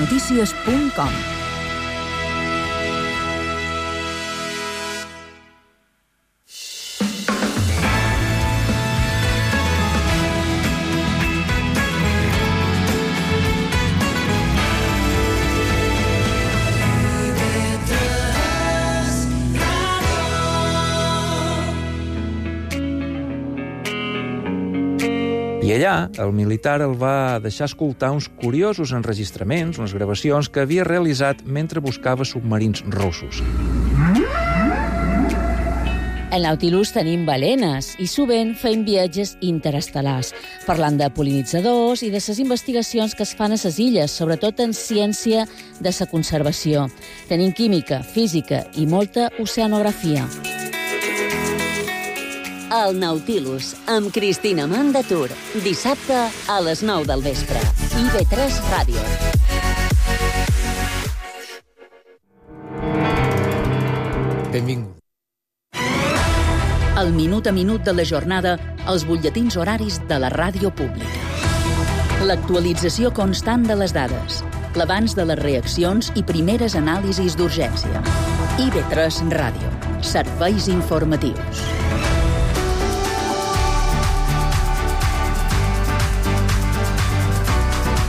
radionotícies.com. I allà, el militar el va deixar escoltar uns curiosos enregistraments, unes gravacions que havia realitzat mentre buscava submarins russos. Al Nautilus tenim balenes i sovint fem viatges interestel·lars, parlant de pol·linitzadors i de les investigacions que es fan a les illes, sobretot en ciència de la conservació. Tenim química, física i molta oceanografia. El Nautilus, amb Cristina Mandatur. Dissabte a les 9 del vespre. IB3 Ràdio. Benvingut. El minut a minut de la jornada als butlletins horaris de la ràdio pública. L'actualització constant de les dades, l'abans de les reaccions i primeres anàlisis d'urgència. IB3 Ràdio. Serveis informatius.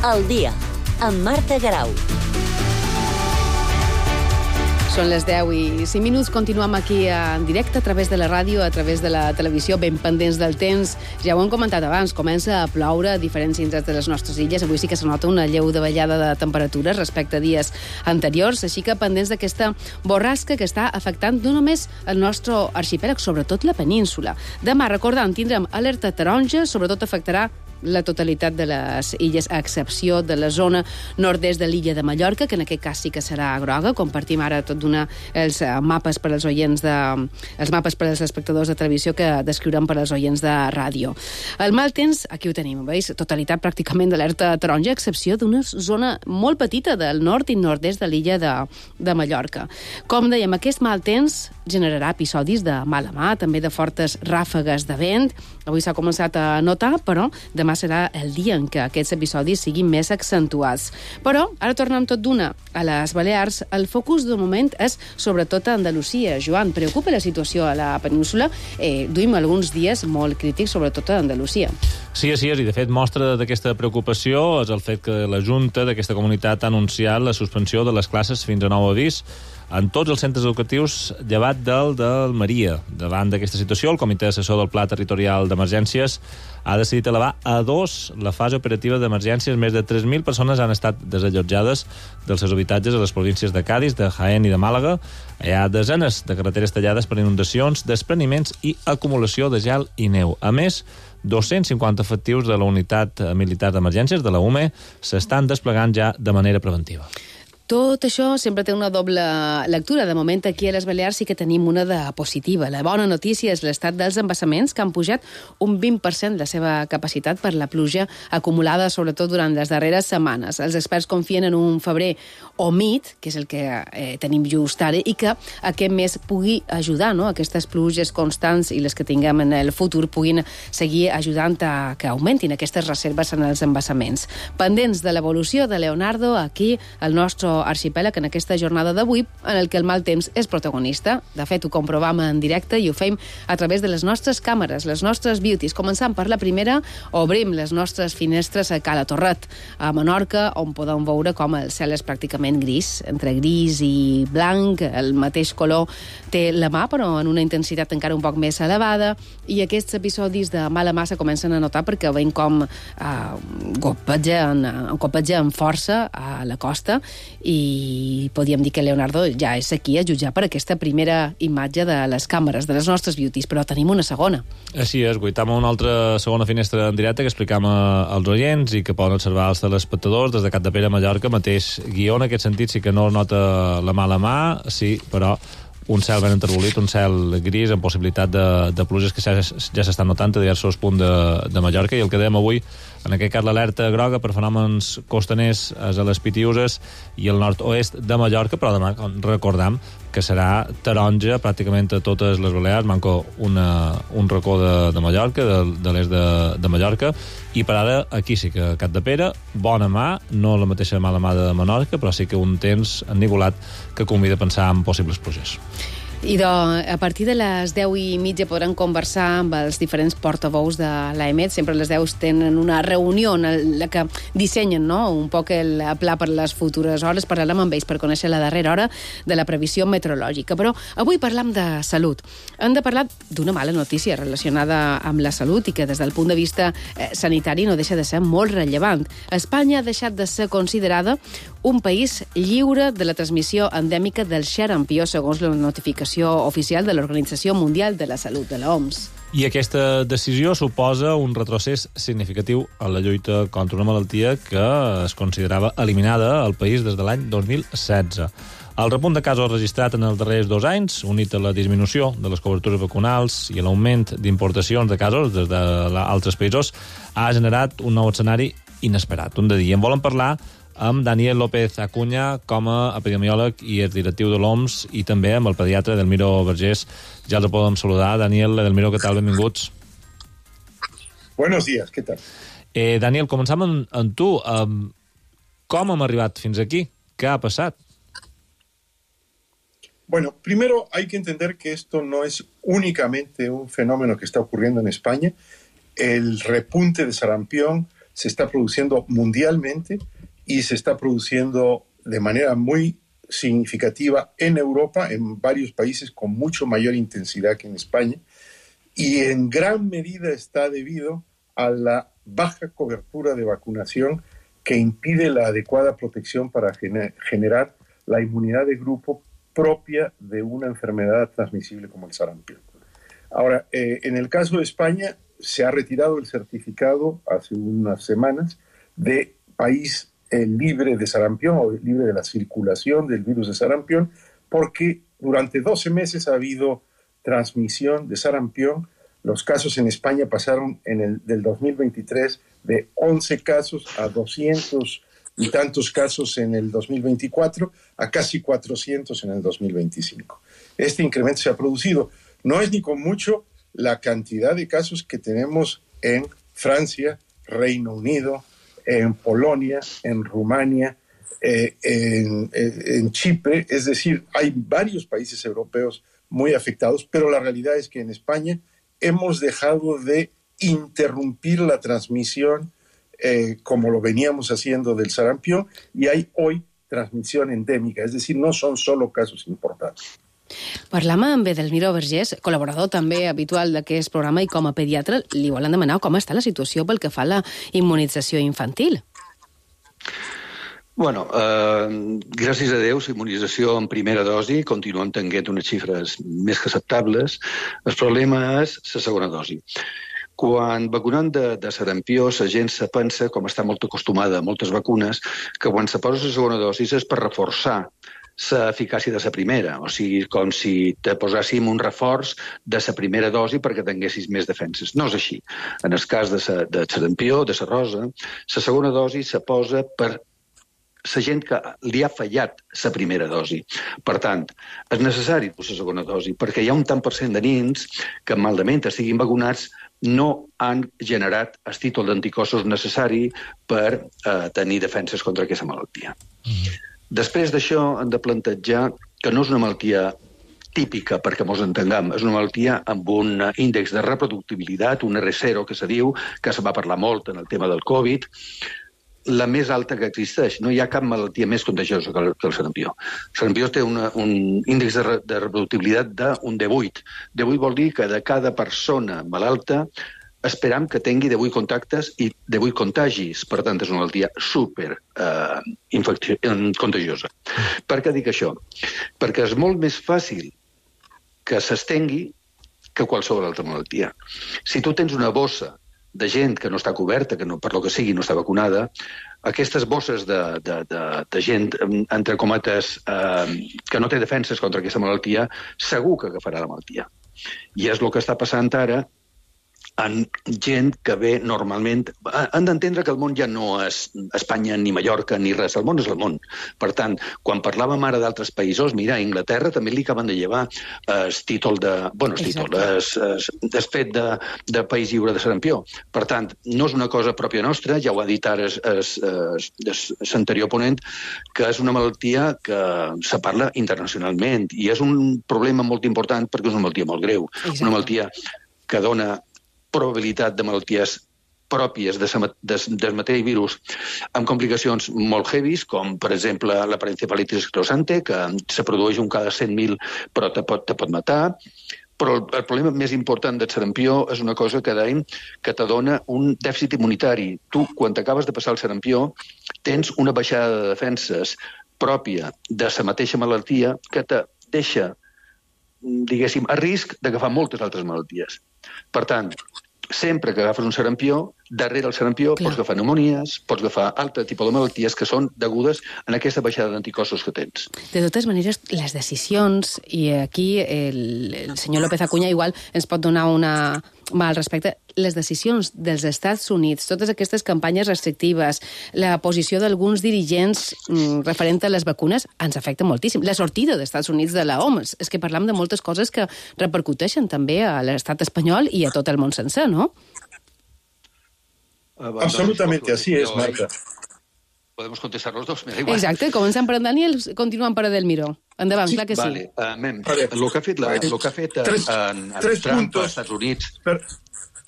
El dia, amb Marta Garau. Són les 10 i 5 minuts. Continuem aquí en directe a través de la ràdio, a través de la televisió, ben pendents del temps. Ja ho hem comentat abans, comença a ploure a diferents indrets de les nostres illes. Avui sí que se nota una lleu davallada de temperatures respecte a dies anteriors, així que pendents d'aquesta borrasca que està afectant no només el nostre arxipèlag, sobretot la península. Demà, recordant, tindrem alerta taronja, sobretot afectarà la totalitat de les illes, a excepció de la zona nord-est de l'illa de Mallorca, que en aquest cas sí que serà groga. Compartim ara tot d'una els mapes per als oients els mapes per als espectadors de televisió que descriurem per als oients de ràdio. El mal temps, aquí ho tenim, veus? Totalitat pràcticament d'alerta taronja, a excepció d'una zona molt petita del nord i nord-est de l'illa de Mallorca. Com dèiem, aquest mal temps generarà episodis de mala mà, també de fortes ràfegues de vent. Avui s'ha començat a notar, però demà serà el dia en què aquests episodis siguin més accentuats. Però ara tornem tot d'una a les Balears. El focus de moment és sobretot a Andalusia. Joan, preocupa la situació a la península? Duim alguns dies molt crítics, sobretot a Andalusia. Sí, i de fet mostra d'aquesta preocupació és el fet que la Junta d'aquesta comunitat ha anunciat la suspensió de les classes fins a nou avís en tots els centres educatius llevat d'Almeria. Davant d'aquesta situació, el Comitè Assessor del Pla Territorial d'Emergències ha decidit elevar a 2 la fase operativa d'emergències. Més de 3.000 persones han estat desallotjades dels seus habitatges a les províncies de Cádiz, de Jaén i de Màlaga. Hi ha desenes de carreteres tallades per inundacions, despreniments i acumulació de gel i neu. A més, 250 efectius de la Unitat Militar d'Emergències, de la UME, s'estan desplegant ja de manera preventiva. Tot això sempre té una doble lectura. De moment, aquí a les Balears sí que tenim una de positiva. La bona notícia és l'estat dels embassaments, que han pujat un 20% la seva capacitat per la pluja acumulada, sobretot durant les darreres setmanes. Els experts confien en un febrer humit, que és el que tenim just ara, i que aquest mes pugui ajudar, no? Aquestes pluges constants i les que tinguem en el futur puguin seguir ajudant a que augmentin aquestes reserves en els embassaments. Pendents de l'evolució de Leonardo, aquí, el nostre arxipèlag, en aquesta jornada d'avui, en el que el mal temps és protagonista. De fet, ho comprovam en directe i ho fem a través de les nostres càmeres, les nostres beauties. Començant per la primera, obrim les nostres finestres a Cala Torret, a Menorca, on podem veure com el cel és pràcticament gris, entre gris i blanc. El mateix color té la mà, però en una intensitat encara un poc més elevada, i aquests episodis de mala mà se comencen a notar perquè veiem com copegen força a la costa, i podríem dir que Leonardo ja és aquí a jutjar per aquesta primera imatge de les càmeres, de les nostres beauties, però tenim una segona. Així és, guaitam una altra segona finestra en directe que explicam als oients i que poden observar els telespectadors des de Capdepera, Mallorca, mateix guió. En aquest sentit sí que no nota la mala mà, sí, però un cel ben enterbolit, un cel gris amb possibilitat de pluges que ja s'estan notant a diversos punts de Mallorca, i el que dèiem avui En aquest cas, l'alerta groga per fenòmens costaners és a les Pitiüses i al nord-oest de Mallorca, però demà recordam que serà taronja pràcticament a totes les Balears, manco un racó de Mallorca, de l'est de Mallorca, i per ara aquí sí que Capdepera, bona mà, no la mateixa mala mà de Menorca, però sí que un temps ennivolat que convida a pensar en possibles pluges. I a partir de les 10:30 podran conversar amb els diferents portaveus de l'AEMET. Sempre a les 10 tenen una reunió en la que dissenyen un poc el pla per les futures hores. Parlarem amb ells per conèixer la darrera hora de la previsió meteorològica. Però avui parlam de salut. Hem de parlar d'una mala notícia relacionada amb la salut i que des del punt de vista sanitari no deixa de ser molt rellevant. Espanya ha deixat de ser considerada un país lliure de la transmissió endèmica del xarampió, segons la notificació oficial de l'Organització Mundial de la Salut, de l'OMS. I aquesta decisió suposa un retrocés significatiu en la lluita contra una malaltia que es considerava eliminada al país des de l'any 2016. El repunt de casos registrat en els darrers 2 anys, unit a la disminució de les cobertures vacunals i a l'augment d'importacions de casos des d'altres països, ha generat un nou escenari inesperat. Un de dia en volen parlar amb Daniel López Acuña com a epidemiòleg i exdirectiu de l'OMS i també amb el pediatre Edelmiro Vergés. Ja els podem saludar. Daniel, Edelmiro, què tal? Benvinguts. Buenos días, ¿qué tal? Daniel, començam amb tu. Com hem arribat fins aquí? ¿Qué ha pasado? Bueno, primero hay que entender que esto no es únicamente un fenómeno que está ocurriendo en España. El repunte de sarampión se está produciendo mundialmente y se está produciendo de manera muy significativa en Europa, en varios países con mucho mayor intensidad que en España, y en gran medida está debido a la baja cobertura de vacunación que impide la adecuada protección para generar la inmunidad de grupo propia de una enfermedad transmisible como el sarampión. Ahora, en el caso de España, se ha retirado el certificado hace unas semanas de país libre de sarampión o libre de la circulación del virus de sarampión, porque durante 12 meses ha habido transmisión de sarampión. Los casos en España pasaron del 2023 de 11 casos a 200 y tantos casos en el 2024 a casi 400 en el 2025. Este incremento se ha producido. No es ni con mucho la cantidad de casos que tenemos en Francia, Reino Unido, en Polonia, en Rumania, en Chipre. Es decir, hay varios países europeos muy afectados, pero la realidad es que en España hemos dejado de interrumpir la transmisión como lo veníamos haciendo del sarampión, y hay hoy transmisión endèmica, és dir, no són solo casos importants. Parlam amb Edelmiro Vergés, col·laborador també habitual d'aquest programa, i com a pediatre li volen demanar com està la situació pel que fa a la immunització infantil. Bueno, gràcies a Déu, la immunització en primera dosi continuen tenint unes xifres més que acceptables. El problema és la segona dosi. Quan vacunem de sarampió, la gent se pensa, com està molt acostumada a moltes vacunes, que quan se posa la segona dosi és per reforçar l'eficàcia de la primera. O sigui, com si te posàssim un reforç de la primera dosi perquè tinguessis més defenses. No és així. En el cas de sarampió, de la rosa, la segona dosi se posa per la gent que li ha fallat la primera dosi. Per tant, és necessari la segona dosi perquè hi ha un tant per cent de nens que, malament estiguin vacunats, no han generat el títol d'anticossos necessari per tenir defenses contra aquesta malaltia. Després d'això, hem de plantejar que no és una malaltia típica, perquè ens entenguem, és una malaltia amb un índex de reproductibilitat, un R0, que se diu, que se va parlar molt en el tema del Covid, la més alta que existeix. No hi ha cap malaltia més contagiosa que el sarampió. El sarampió té un índex de reproductibilitat d'un 18. 18 vol dir que de cada persona malalta esperam que tingui 18 contactes i 18 contagis. Per tant, és una malaltia super contagiosa. Per què dic això? Perquè és molt més fàcil que s'estengui que qualsevol altra malaltia. Si tu tens una bossa de gent que no està coberta, que no, per lo que sigui no està vacunada, aquestes bosses de gent, entre cometes, que no té defenses contra aquesta malaltia, segur que agafarà la malaltia. I és el que està passant ara en gent que ve normalment... Han d'entendre que el món ja no és Espanya ni Mallorca ni res, el món és el món. Per tant, quan parlàvem ara d'altres països, mira, a Anglaterra també li acaben de llevar el títol de... Bueno, el títol, el fet de país lliure de sarampió. Per tant, no és una cosa pròpia nostra, ja ho ha dit ara l'anterior ponent, que és una malaltia que se parla internacionalment i és un problema molt important perquè és una malaltia molt greu. Una malaltia que dona probabilitat de malalties pròpies del mateix virus amb complicacions molt heavies, com, per exemple, la parencefalitis esclerosante, que se produeix un cada 100.000, però te pot matar. Però el problema més important del sarampió és una cosa que dèiem que te dona un dèficit immunitari. Tu, quan t'acabes de passar el sarampió, tens una baixada de defenses pròpia de la mateixa malaltia que te deixa, diguéssim, a risc d'agafar moltes altres malalties. Per tant, sempre que agafes un sarampió, darrere el sarampió pots agafar pneumonies, pots agafar altre tipus de malalties que són degudes a aquesta baixada d'anticossos que tens. De totes maneres, les decisions, i aquí el senyor López Acuña igual ens pot donar una mà al respecte, les decisions dels Estats Units, totes aquestes campanyes restrictives, la posició d'alguns dirigents referent a les vacunes, ens afecta moltíssim. La sortida dels Estats Units de la OMS. És que parlam de moltes coses que repercuteixen també a l'estat espanyol i a tot el món sencer, no? Absolutamente, así es, Marta. Podemos contestar los dos, me da igual. Exacte, començant per en Daniel, continuant per Edelmiro. Endavant, clar que sí. Vale. El que ha fet Trump als Estats Units...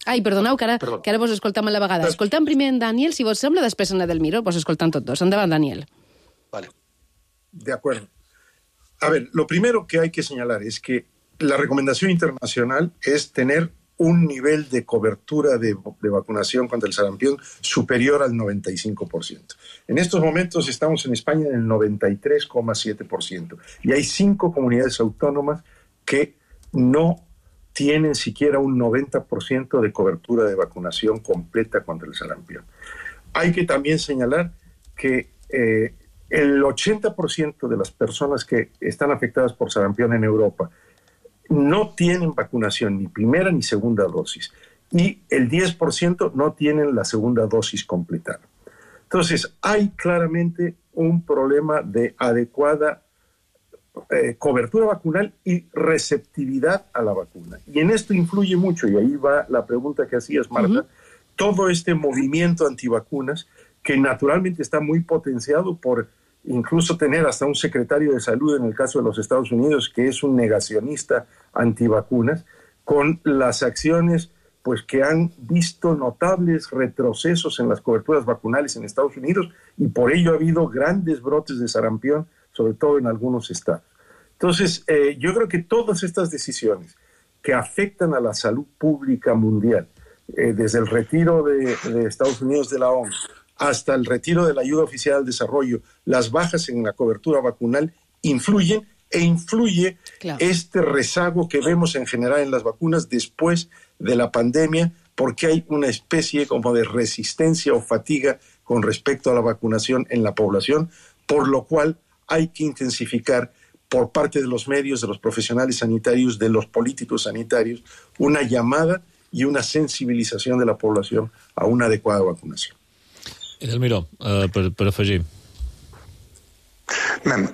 Ai, perdoneu, que ara vos escoltam a la vegada. Escoltam primer en Daniel, si vos sembla, després en Edelmiro, vos escoltam tots dos. Endavant, Daniel. Vale. De acuerdo. A ver, lo primero que hay que señalar es que la recomendación internacional es tener un nivel de cobertura de vacunación contra el sarampión superior al 95%. En estos momentos estamos en España en el 93,7%. Y hay 5 comunidades autónomas que no tienen siquiera un 90% de cobertura de vacunación completa contra el sarampión. Hay que también señalar que el 80% de las personas que están afectadas por sarampión en Europa no tienen vacunación ni primera ni segunda dosis, y el 10% no tienen la segunda dosis completada. Entonces, hay claramente un problema de adecuada cobertura vacunal y receptividad a la vacuna. Y en esto influye mucho, y ahí va la pregunta que hacías, Marta, todo este movimiento antivacunas que naturalmente está muy potenciado por incluso tener hasta un secretario de salud en el caso de los Estados Unidos que es un negacionista antivacunas, con las acciones pues que han visto notables retrocesos en las coberturas vacunales en Estados Unidos, y por ello ha habido grandes brotes de sarampión, sobre todo en algunos estados. Entonces, yo creo que todas estas decisiones que afectan a la salud pública mundial, desde el retiro de Estados Unidos de la OMS hasta el retiro de la ayuda oficial al desarrollo, las bajas en la cobertura vacunal influyen, e influye este rezago que vemos en general en las vacunas después de la pandemia, porque hay una especie como de resistencia o fatiga con respecto a la vacunación en la población, por lo cual hay que intensificar por parte de los medios, de los profesionales sanitarios, de los políticos sanitarios, una llamada y una sensibilización de la población a una adecuada vacunación. Edelmiro, per afegir. Les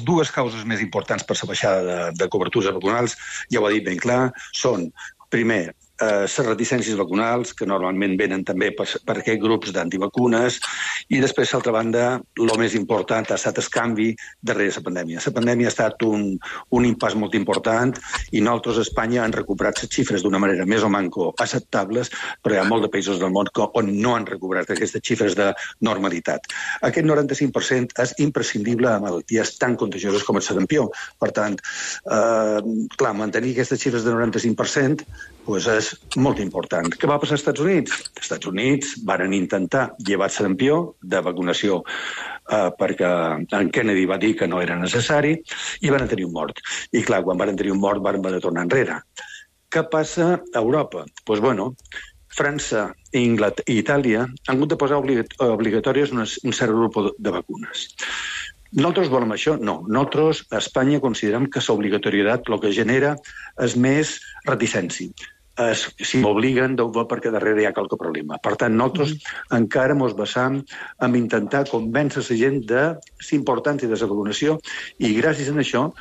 dues causes més importants per la baixada de cobertures vacunals, ja ho ha dit ben clar, són, primer, les reticències vacunals, que normalment venen també per aquests grups d'antivacunes, i després, d'altra banda, el més important ha estat el canvi darrere la pandèmia. La pandèmia ha estat un impàs molt important, i nosaltres a Espanya han recuperat les xifres d'una manera més o manco acceptables, però hi ha molts de països del món on no han recuperat aquestes xifres de normalitat. Aquest 95% és imprescindible a malalties tan contagioses com el sarampió. Per tant, clar, mantenir aquestes xifres de 95% és molt important. Què va passar als Estats Units? Els Estats Units van intentar llevar el sarampió de vacunació perquè en Kennedy va dir que no era necessari, i van tenir un mort. I clar, quan van tenir un mort van haver de tornar enrere. Què passa a Europa? Doncs bueno, França i Itàlia han hagut de posar obligatòries un cert grup de vacunes. Nosaltres volem això? No. Nosaltres a Espanya considerem que l'obligatorietat el que genera és més reticència. si m'obliguen, deu va perquè darrere hi ha qualque problema. Per tant, nosaltres encara ens basam en intentar convèncer la gent de l'importància de la vacunació i gràcies a això,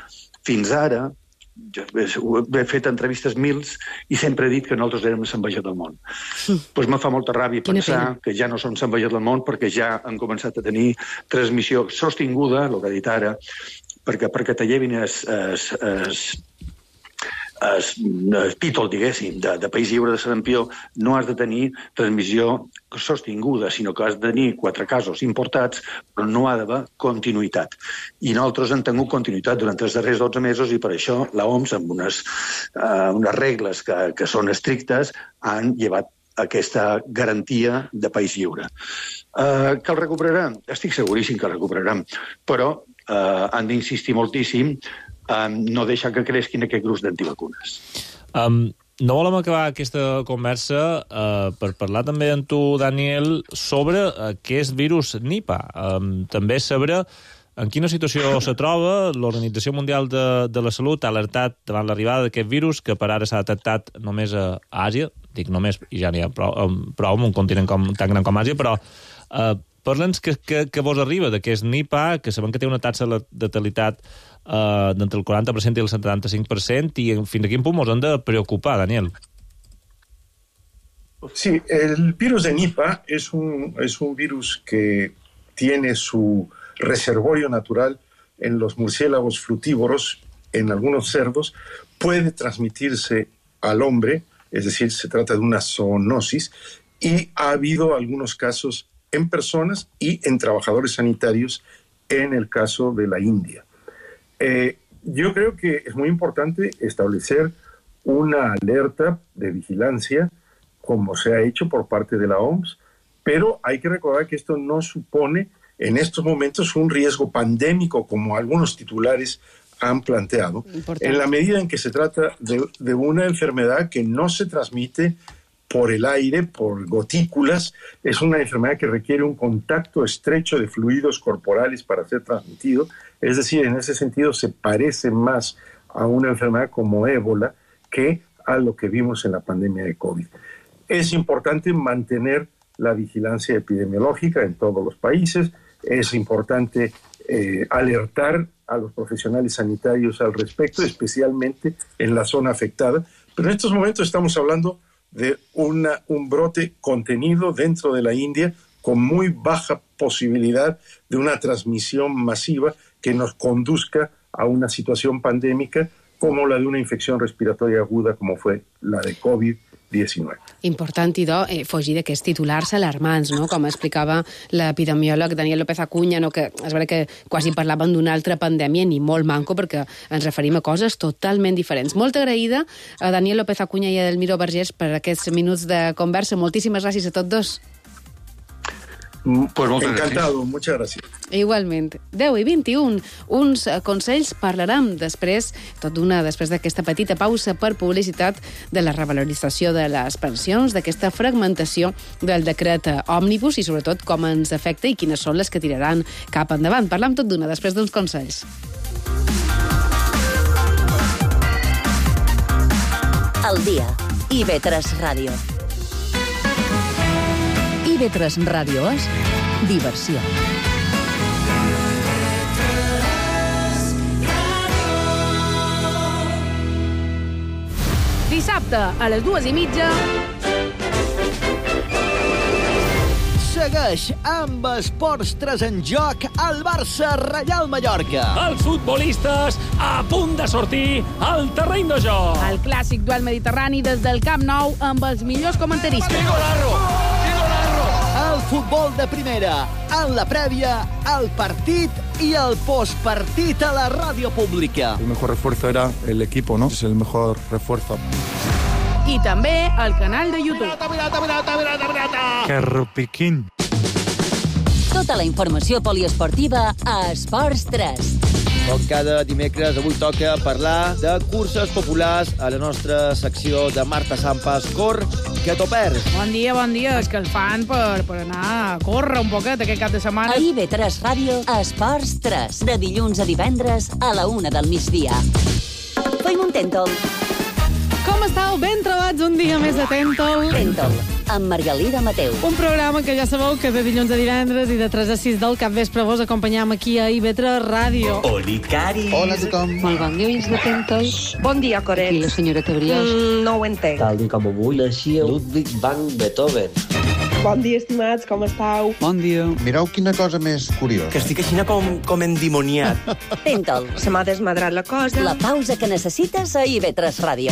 fins ara, he fet entrevistes mils i sempre he dit que nosaltres érem l'envejat del món. Doncs me fa molta ràbia pensar que ja no som l'envejat del món perquè ja han començat a tenir transmissió sostinguda, el que he dit ara, perquè te llevin el títol, diguéssim, de país lliure de sarampió, no has de tenir transmissió sostinguda, sinó que has de tenir 4 casos importats, però no ha d'haver continuïtat. I nosaltres hem tingut continuïtat durant els darrers 12 mesos i per això l'OMS, amb unes regles que són estrictes, han llevat aquesta garantia de país lliure. Que el recuperarem? Estic seguríssim que el recuperarem, però han d'insistir moltíssim no deixar que creixin aquest grup d'antivacunes. No volem acabar aquesta conversa per parlar també amb tu, Daniel, sobre aquest virus Nipah. També saber en quina situació se troba. L'Organització Mundial de la Salut ha alertat davant l'arribada d'aquest virus, que per ara s'ha detectat només a Àsia. Dic només, i ja n'hi ha prou en un continent tan gran com Àsia, però parla'ns que vos arriba d'aquest Nipah, que sabem que té una taxa de letalitat d'entre el 40% i el 75%, i fins a quin punt ens hem de preocupar, Daniel? Sí, el virus de Nipah es un virus que tiene su reservorio natural en los murciélagos frutívoros, en algunos cerdos, puede transmitirse al hombre, es decir, se trata de una zoonosis, y ha habido algunos casos en personas y en trabajadores sanitarios en el caso de la India. Yo creo que es muy importante establecer una alerta de vigilancia, como se ha hecho por parte de la OMS, pero hay que recordar que esto no supone en estos momentos un riesgo pandémico, como algunos titulares han planteado, en la medida en que se trata de una enfermedad que no se transmite por el aire, por gotículas. Es una enfermedad que requiere un contacto estrecho de fluidos corporales para ser transmitido. Es decir, en ese sentido se parece más a una enfermedad como ébola que a lo que vimos en la pandemia de COVID. Es importante mantener la vigilancia epidemiológica en todos los países. Es importante alertar a los profesionales sanitarios al respecto, especialmente en la zona afectada. Pero en estos momentos estamos hablando de un brote contenido dentro de la India con muy baja posibilidad de una transmisión masiva que nos conduzca a una situación pandémica como la de una infección respiratoria aguda como fue la de COVID-19. Important, idò, fugir d'aquests titulars alarmants, no? Com explicava l'epidemiòleg Daniel López Acuña, no? Que és veritat que quasi parlàvem d'una altra pandèmia, ni molt manco, perquè ens referim a coses totalment diferents. Molt agraïda a Daniel López Acuña i a Edelmiro Vergés per aquests minuts de conversa. Moltíssimes gràcies a tots dos. Pues encantado, muchas gracias. Igualment. 10 i 21, uns consells parlarem després, després d'aquesta petita pausa per publicitat, de la revalorització de les pensions, d'aquesta fragmentació del decret òmnibus i sobretot com ens afecta i quines són les que tiraran cap endavant. Parlam tot d'una després d'uns consells. Al dia. IB3 Ràdio. IB3 Ràdio és diversió. Dissabte, a les 2:30... Segueix amb Esports 3 en joc al Barça-Reial Mallorca. Els futbolistes a punt de sortir al terreny de joc. El clàssic duel mediterrani des del Camp Nou amb els millors comentaristes. El futbol de primera, en la prèvia, el partit i el postpartit a la ràdio pública. El mejor refuerzo era el equipo, ¿no? Es el mejor refuerzo. I també al canal de YouTube. Que rupiquín. Tota la informació poliesportiva a Esports 3. Com cada dimecres, avui toca parlar de curses populars a la nostra secció de Marta Sampas, Cor, que t'ho perds. Bon dia, és que el fan per anar a córrer un poquet aquest cap de setmana. A IB3 Ràdio, Esports 3, de dilluns a divendres a la 1 del migdia. Fem un tèntol. Com estàu? Ben trobats un dia més a Tentol. Tentol, amb Margalida Mateu. Un programa que ja sabeu que de dilluns a divendres i de 3 a 6 del capvespre vos acompanyam aquí a IB3 Ràdio. Oli, Cari. Hola a tothom. Molt bon dia, oients de Tentol. Bon dia, Coret. Aquí la senyora Tebriós. No ho entenc. Tal com avui naixia Ludwig van Beethoven. Bon dia, estimats, com estàu? Bon dia. Mireu quina cosa més curiosa. Que estic així com endimoniat. Tentol, Se m'ha desmadrat la cosa. la pausa que necessites a IB3 Ràdio.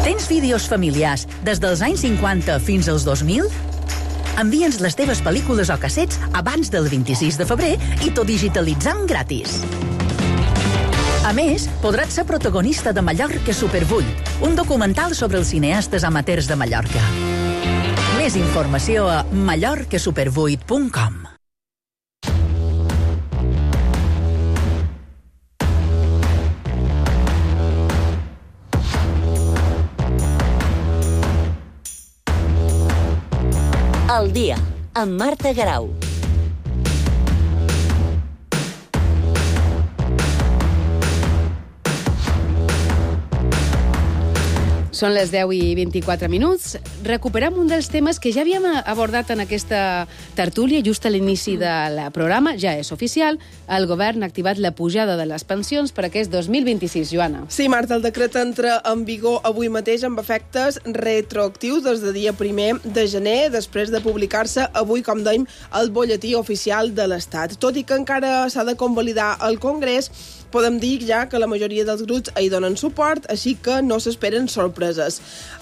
Tens vídeos familiars des dels anys 50 fins als 2000? Envia'ns les teves pel·lícules o cassets abans del 26 de febrer i t'ho digitalitzam gratis. A més, podràs ser protagonista de Mallorca Super 8, un documental sobre els cineastes amateurs de Mallorca. Més informació a mallorcasuper8.com. Al dia, amb Marta Garau. Són les 10 i 24 minuts. Recuperem un dels temes que ja havíem abordat en aquesta tertúlia just a l'inici del programa. Ja és oficial, el govern ha activat la pujada de les pensions per aquest 2026, Joana. Sí, Marta, el decret entra en vigor avui mateix amb efectes retroactius des de dia 1 de gener, després de publicar-se avui, com dèiem, al butlletí oficial de l'Estat. Tot i que encara s'ha de convalidar al Congrés, podem dir ja que la majoria dels grups hi donen suport, així que no s'esperen sorpreses.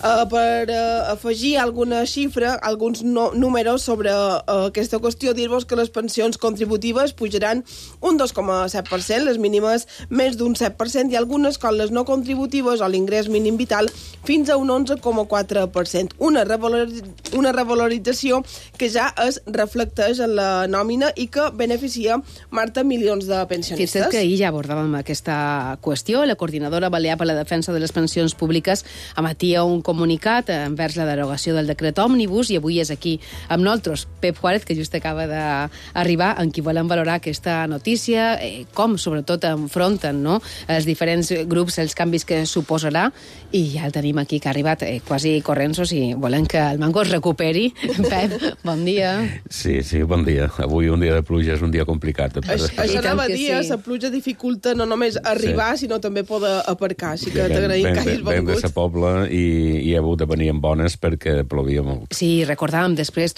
Per afegir alguna xifra, alguns números sobre aquesta qüestió, dir-vos que les pensions contributives pujaran un 2,7%, les mínimes més d'un 7%, i algunes, com les no contributives o l'ingrés mínim vital, fins a un 11,4%. Una revalorització que ja es reflecteix en la nòmina i que beneficia, Marta, milions de pensionistes. Fixa't que ahir ja abordàvem aquesta qüestió. La coordinadora balear per la defensa de les pensions públiques emetia un comunicat envers la derogació del decret òmnibus i avui és aquí amb nosaltres Pep Juárez, que just acaba d'arribar, en qui volem valorar aquesta notícia, com sobretot enfronten, no, els diferents grups, els canvis que suposarà, i ja el tenim aquí, que ha arribat quasi corrents, i volem que el mango es recuperi. Pep, bon dia. Sí, bon dia. Avui un dia de pluja és un dia complicat. Això anava a dir, la pluja dificulta no només arribar, sinó també poder aparcar, així que t'agraïm que hagis vengut. Venc de sa Pobla i he hagut de venir amb bones perquè plovia molt. Sí, recordàvem després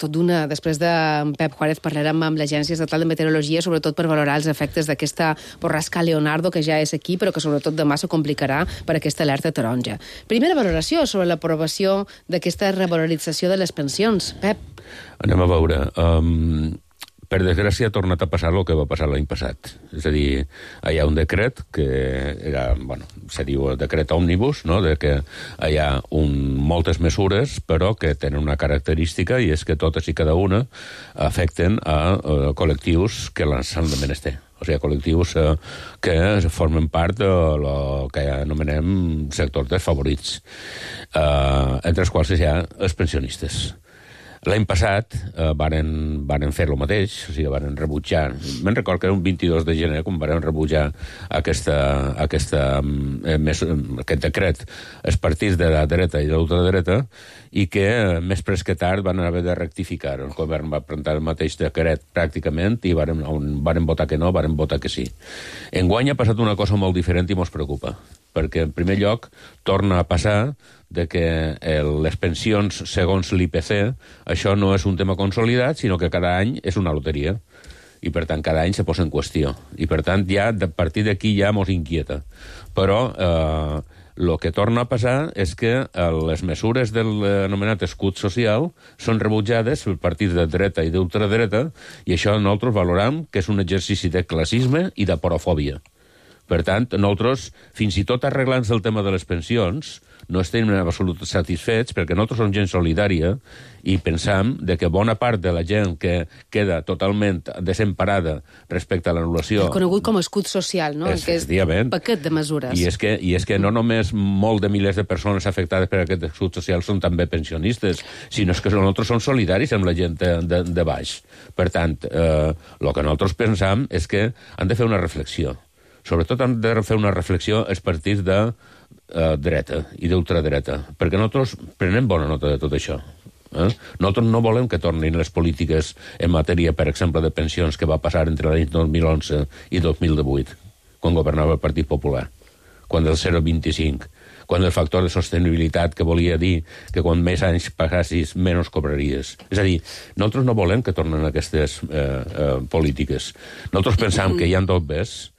de Pep Juárez parlarem amb l'Agència Estatal de Meteorologia, sobretot per valorar els efectes d'aquesta borrasca Leonardo, que ja és aquí, però que sobretot demà se complicarà per aquesta alerta taronja. Primera valoració sobre l'aprovació d'aquesta revalorització de les pensions. Pep. Anem a veure. Per desgràcia ha tornat a passar el que va passar l'any passat. És a dir, hi ha un decret que era, se diu decret òmnibus, no?, de que hi ha moltes mesures, però que tenen una característica, i és que totes i cada una afecten a col·lectius que l'han de menester. O sigui, col·lectius que formen part del que anomenem sectors desfavorits, entre els quals hi ha els pensionistes. L'any passat varen fer el mateix, o sigui, varen rebutjar. Me'n record que era un 22 de gener quan varen rebutjar aquest decret els partits de la dreta i de l'ultradreta, i que més pres que tard van haver de rectificar. El govern va presentar el mateix decret pràcticament i varen votar que no, varen votar que sí. Enguany ha passat una cosa molt diferent i mos preocupa, perquè en primer lloc torna a passar de que les pensions segons l'IPC, això no és un tema consolidat, sinó que cada any és una loteria. I, per tant, cada any se posa en qüestió. I, per tant, ja a partir d'aquí ja mos inquieta. Però el que torna a passar és que les mesures de l'anomenat escut social són rebutjades per partits de dreta i d'ultradreta, i això nosaltres valorem que és un exercici de classisme i de porofòbia. Per tant, nosaltres, fins i tot arreglant el tema de les pensions, no estem en absolut satisfets, perquè nosaltres som gent solidària i pensam que bona part de la gent que queda totalment desemparada respecte a l'anul·lació... Conegut com a escut social, no? Aquest paquet de mesures. I és que no només molt de milers de persones afectades per aquest escut social són també pensionistes, sinó que nosaltres som solidaris amb la gent de baix. Per tant, el que nosaltres pensam és que han de fer una reflexió. Sobretot han de fer una reflexió els partits dreta i d'ultradreta, perquè nosaltres prenem bona nota de tot això. Nosaltres no volem que tornin les polítiques en matèria, per exemple, de pensions que va passar entre l'any 2011 i 2018, quan governava el Partit Popular, quan el 0,25, quan el factor de sostenibilitat, que volia dir que quan més anys passassis, menys cobraries. És a dir, nosaltres no volem que tornen aquestes polítiques. Nosaltres pensam que hi ha dos bés,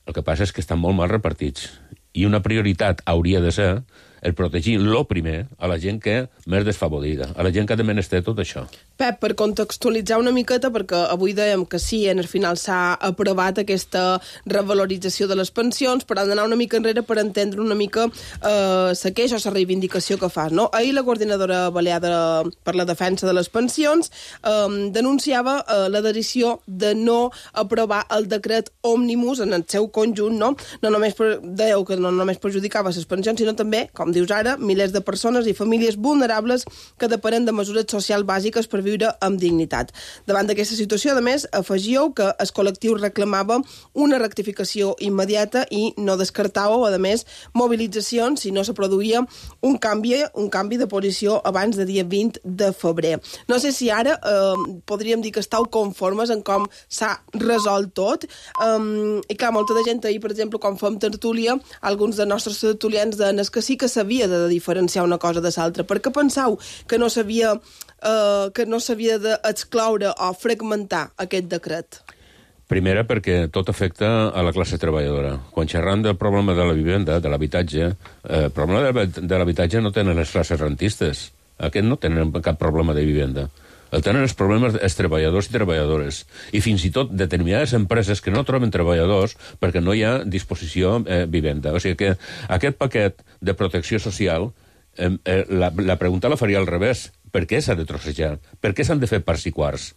el que passa és que estan molt mal repartits. I una prioritat hauria de ser el protegir lo primer a la gent que més desfavorida, a la gent que de menester tot això. Pep, per contextualitzar una miqueta, perquè avui dèiem que sí, en el final s'ha aprovat aquesta revalorització de les pensions, però han d'anar una mica enrere per entendre una mica la queixa o la reivindicació que fa. No? Ahir la coordinadora balear per la defensa de les pensions denunciava la decisió de no aprovar el decret òmnibus en el seu conjunt, no només dèieu que no només perjudicava les pensions, sinó també, com dius ara, milers de persones i famílies vulnerables que depenen de mesures socials bàsiques per viure amb dignitat. Davant d'aquesta situació, a més, afegíeu que el col·lectiu reclamava una rectificació immediata i no descartàveu, a més, mobilitzacions si no se produïa un canvi de posició abans de dia 20 de febrer. No sé si ara podríem dir que estàu conformes en com s'ha resolt tot. I clar, molta de gent ahir, per exemple, quan fem tertúlia, alguns dels nostres tertulians deien que sí que s'havia de diferenciar una cosa de l'altra. Per què penseu que no s'havia d'excloure o fragmentar aquest decret? Primera, perquè tot afecta a la classe treballadora. Quan xerram del problema de la vivenda, de l'habitatge, el problema de l'habitatge no tenen les classes rentistes. Aquests no tenen cap problema de vivenda. El tenen els problemes els treballadors i treballadores. I fins i tot determinades empreses que no troben treballadors perquè no hi ha disposició vivenda. O sigui que aquest paquet de protecció social, la pregunta la faria al revés. Per què s'ha de trossejar? Per què s'han de fer parts i quarts?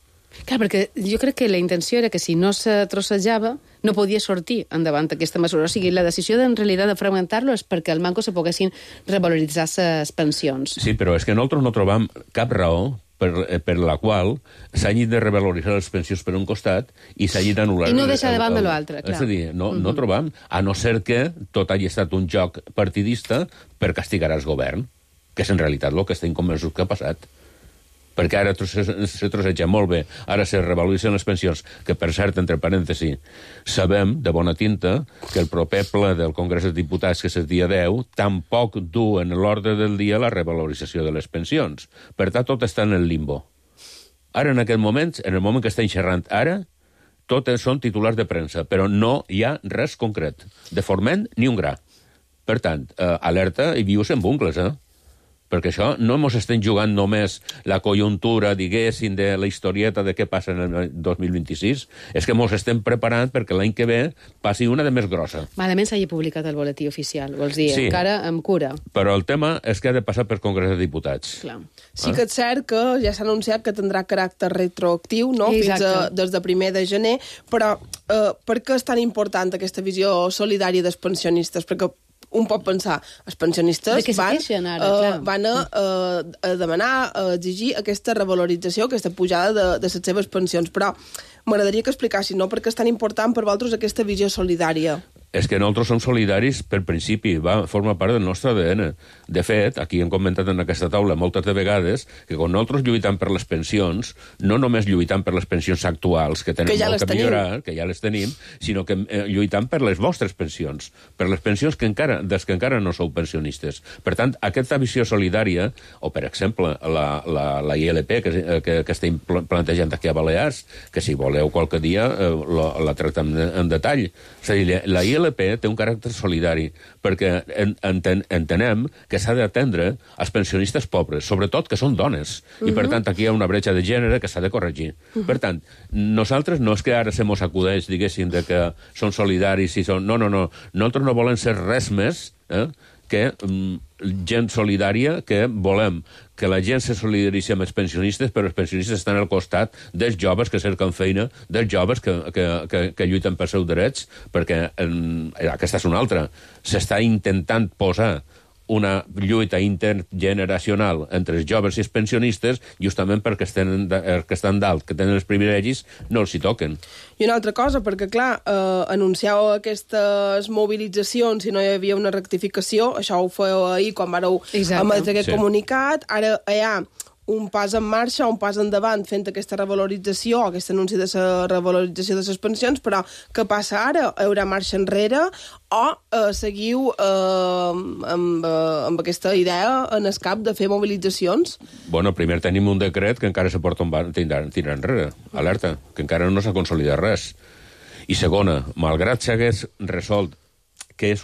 Clar, perquè jo crec que la intenció era que si no se trossejava no podia sortir endavant aquesta mesura. O sigui, la decisió en realitat de fragmentar-lo és perquè al manco se poguessin revaloritzar les pensions. Sí, però és que nosaltres no trobam cap raó per la qual s'hagin de revaloritzar les pensions per un costat i s'hagin d'anul·lar... I no deixar de banda l'altre, clar. És a dir, no trobam, a no ser que tot hagi estat un joc partidista per castigar el govern, que és en realitat el que estem convençuts que ha passat. Perquè ara se trosseja molt bé, ara se revaloritzen les pensions, que per cert, entre parèntesi, sabem de bona tinta que el proper ple del Congrés dels Diputats, que és el dia 10, tampoc du en l'ordre del dia la revalorització de les pensions. Per tant, tot està en el limbo. Ara, en aquest moment, en el moment que estem xerrant ara, tots són titulars de premsa, però no hi ha res concret. De forment, ni un gra. Per tant, alerta i vius en bucles, perquè això no ens estem jugant només la conjuntura, diguéssim, de la historieta de què passa en el 2026, és que ens estem preparant perquè l'any que ve passi una de més grossa. Malament s'hagi publicat el boletí oficial, vols dir, sí, encara amb cura. Però el tema és que ha de passar per Congrés de Diputats. Clar. Sí que és cert que ja s'ha anunciat que tindrà caràcter retroactiu, no? Fins des de 1 de gener, però per què és tan important aquesta visió solidària dels pensionistes? Perquè un pot pensar, els pensionistes van a demanar, a exigir aquesta revalorització, aquesta pujada de les seves pensions, però m'agradaria que explicassin, no?, perquè és tan important per vosaltres aquesta visió solidària. És que nosaltres som solidaris per principi, forma part del nostre ADN. De fet, aquí hem comentat en aquesta taula moltes de vegades que quan nosaltres lluitam per les pensions, no només lluitam per les pensions actuals, que tenen molt que millorar, que ja les tenim, sinó que lluitam per les vostres pensions, per les pensions dels que encara no sou pensionistes. Per tant, aquesta visió solidària, o per exemple, la ILP que estem plantejant aquí a Balears, que si voleu qualque dia la tractem en detall. És a dir, la ILP té un caràcter solidari, perquè entenem que s'ha d'atendre als pensionistes pobres, sobretot que són dones, i per tant aquí hi ha una bretxa de gènere que s'ha de corregir. Per tant, nosaltres no és que ara se mos acudeix, diguéssim, de que són solidaris i són... No, nosaltres no volem ser res més que gent solidària, que volem que la gent se solidaritzi amb els pensionistes, però els pensionistes estan al costat dels joves que cerquen feina, dels joves que lluiten pels seus drets, perquè aquesta és una altra. S'està intentant posar una lluita intergeneracional entre els joves i els pensionistes, justament perquè que estan dalt, que tenen els privilegis, no els hi toquen. I una altra cosa, perquè, clar, anunciàveu aquestes mobilitzacions si no hi havia una rectificació, això ho fèieu ahir quan vareu emetre aquest comunicat, ara hi ha un pas en marxa, un pas endavant fent aquesta revalorització, aquest anunci de la revalorització de les pensions, però què passa ara? Hi haurà marxa enrere o seguiu amb aquesta idea en el cap de fer mobilitzacions? Bueno, primer tenim un decret que encara se porta tirar enrere, alerta, que encara no s'ha consolidat res. I segona, malgrat s'hagués resolt que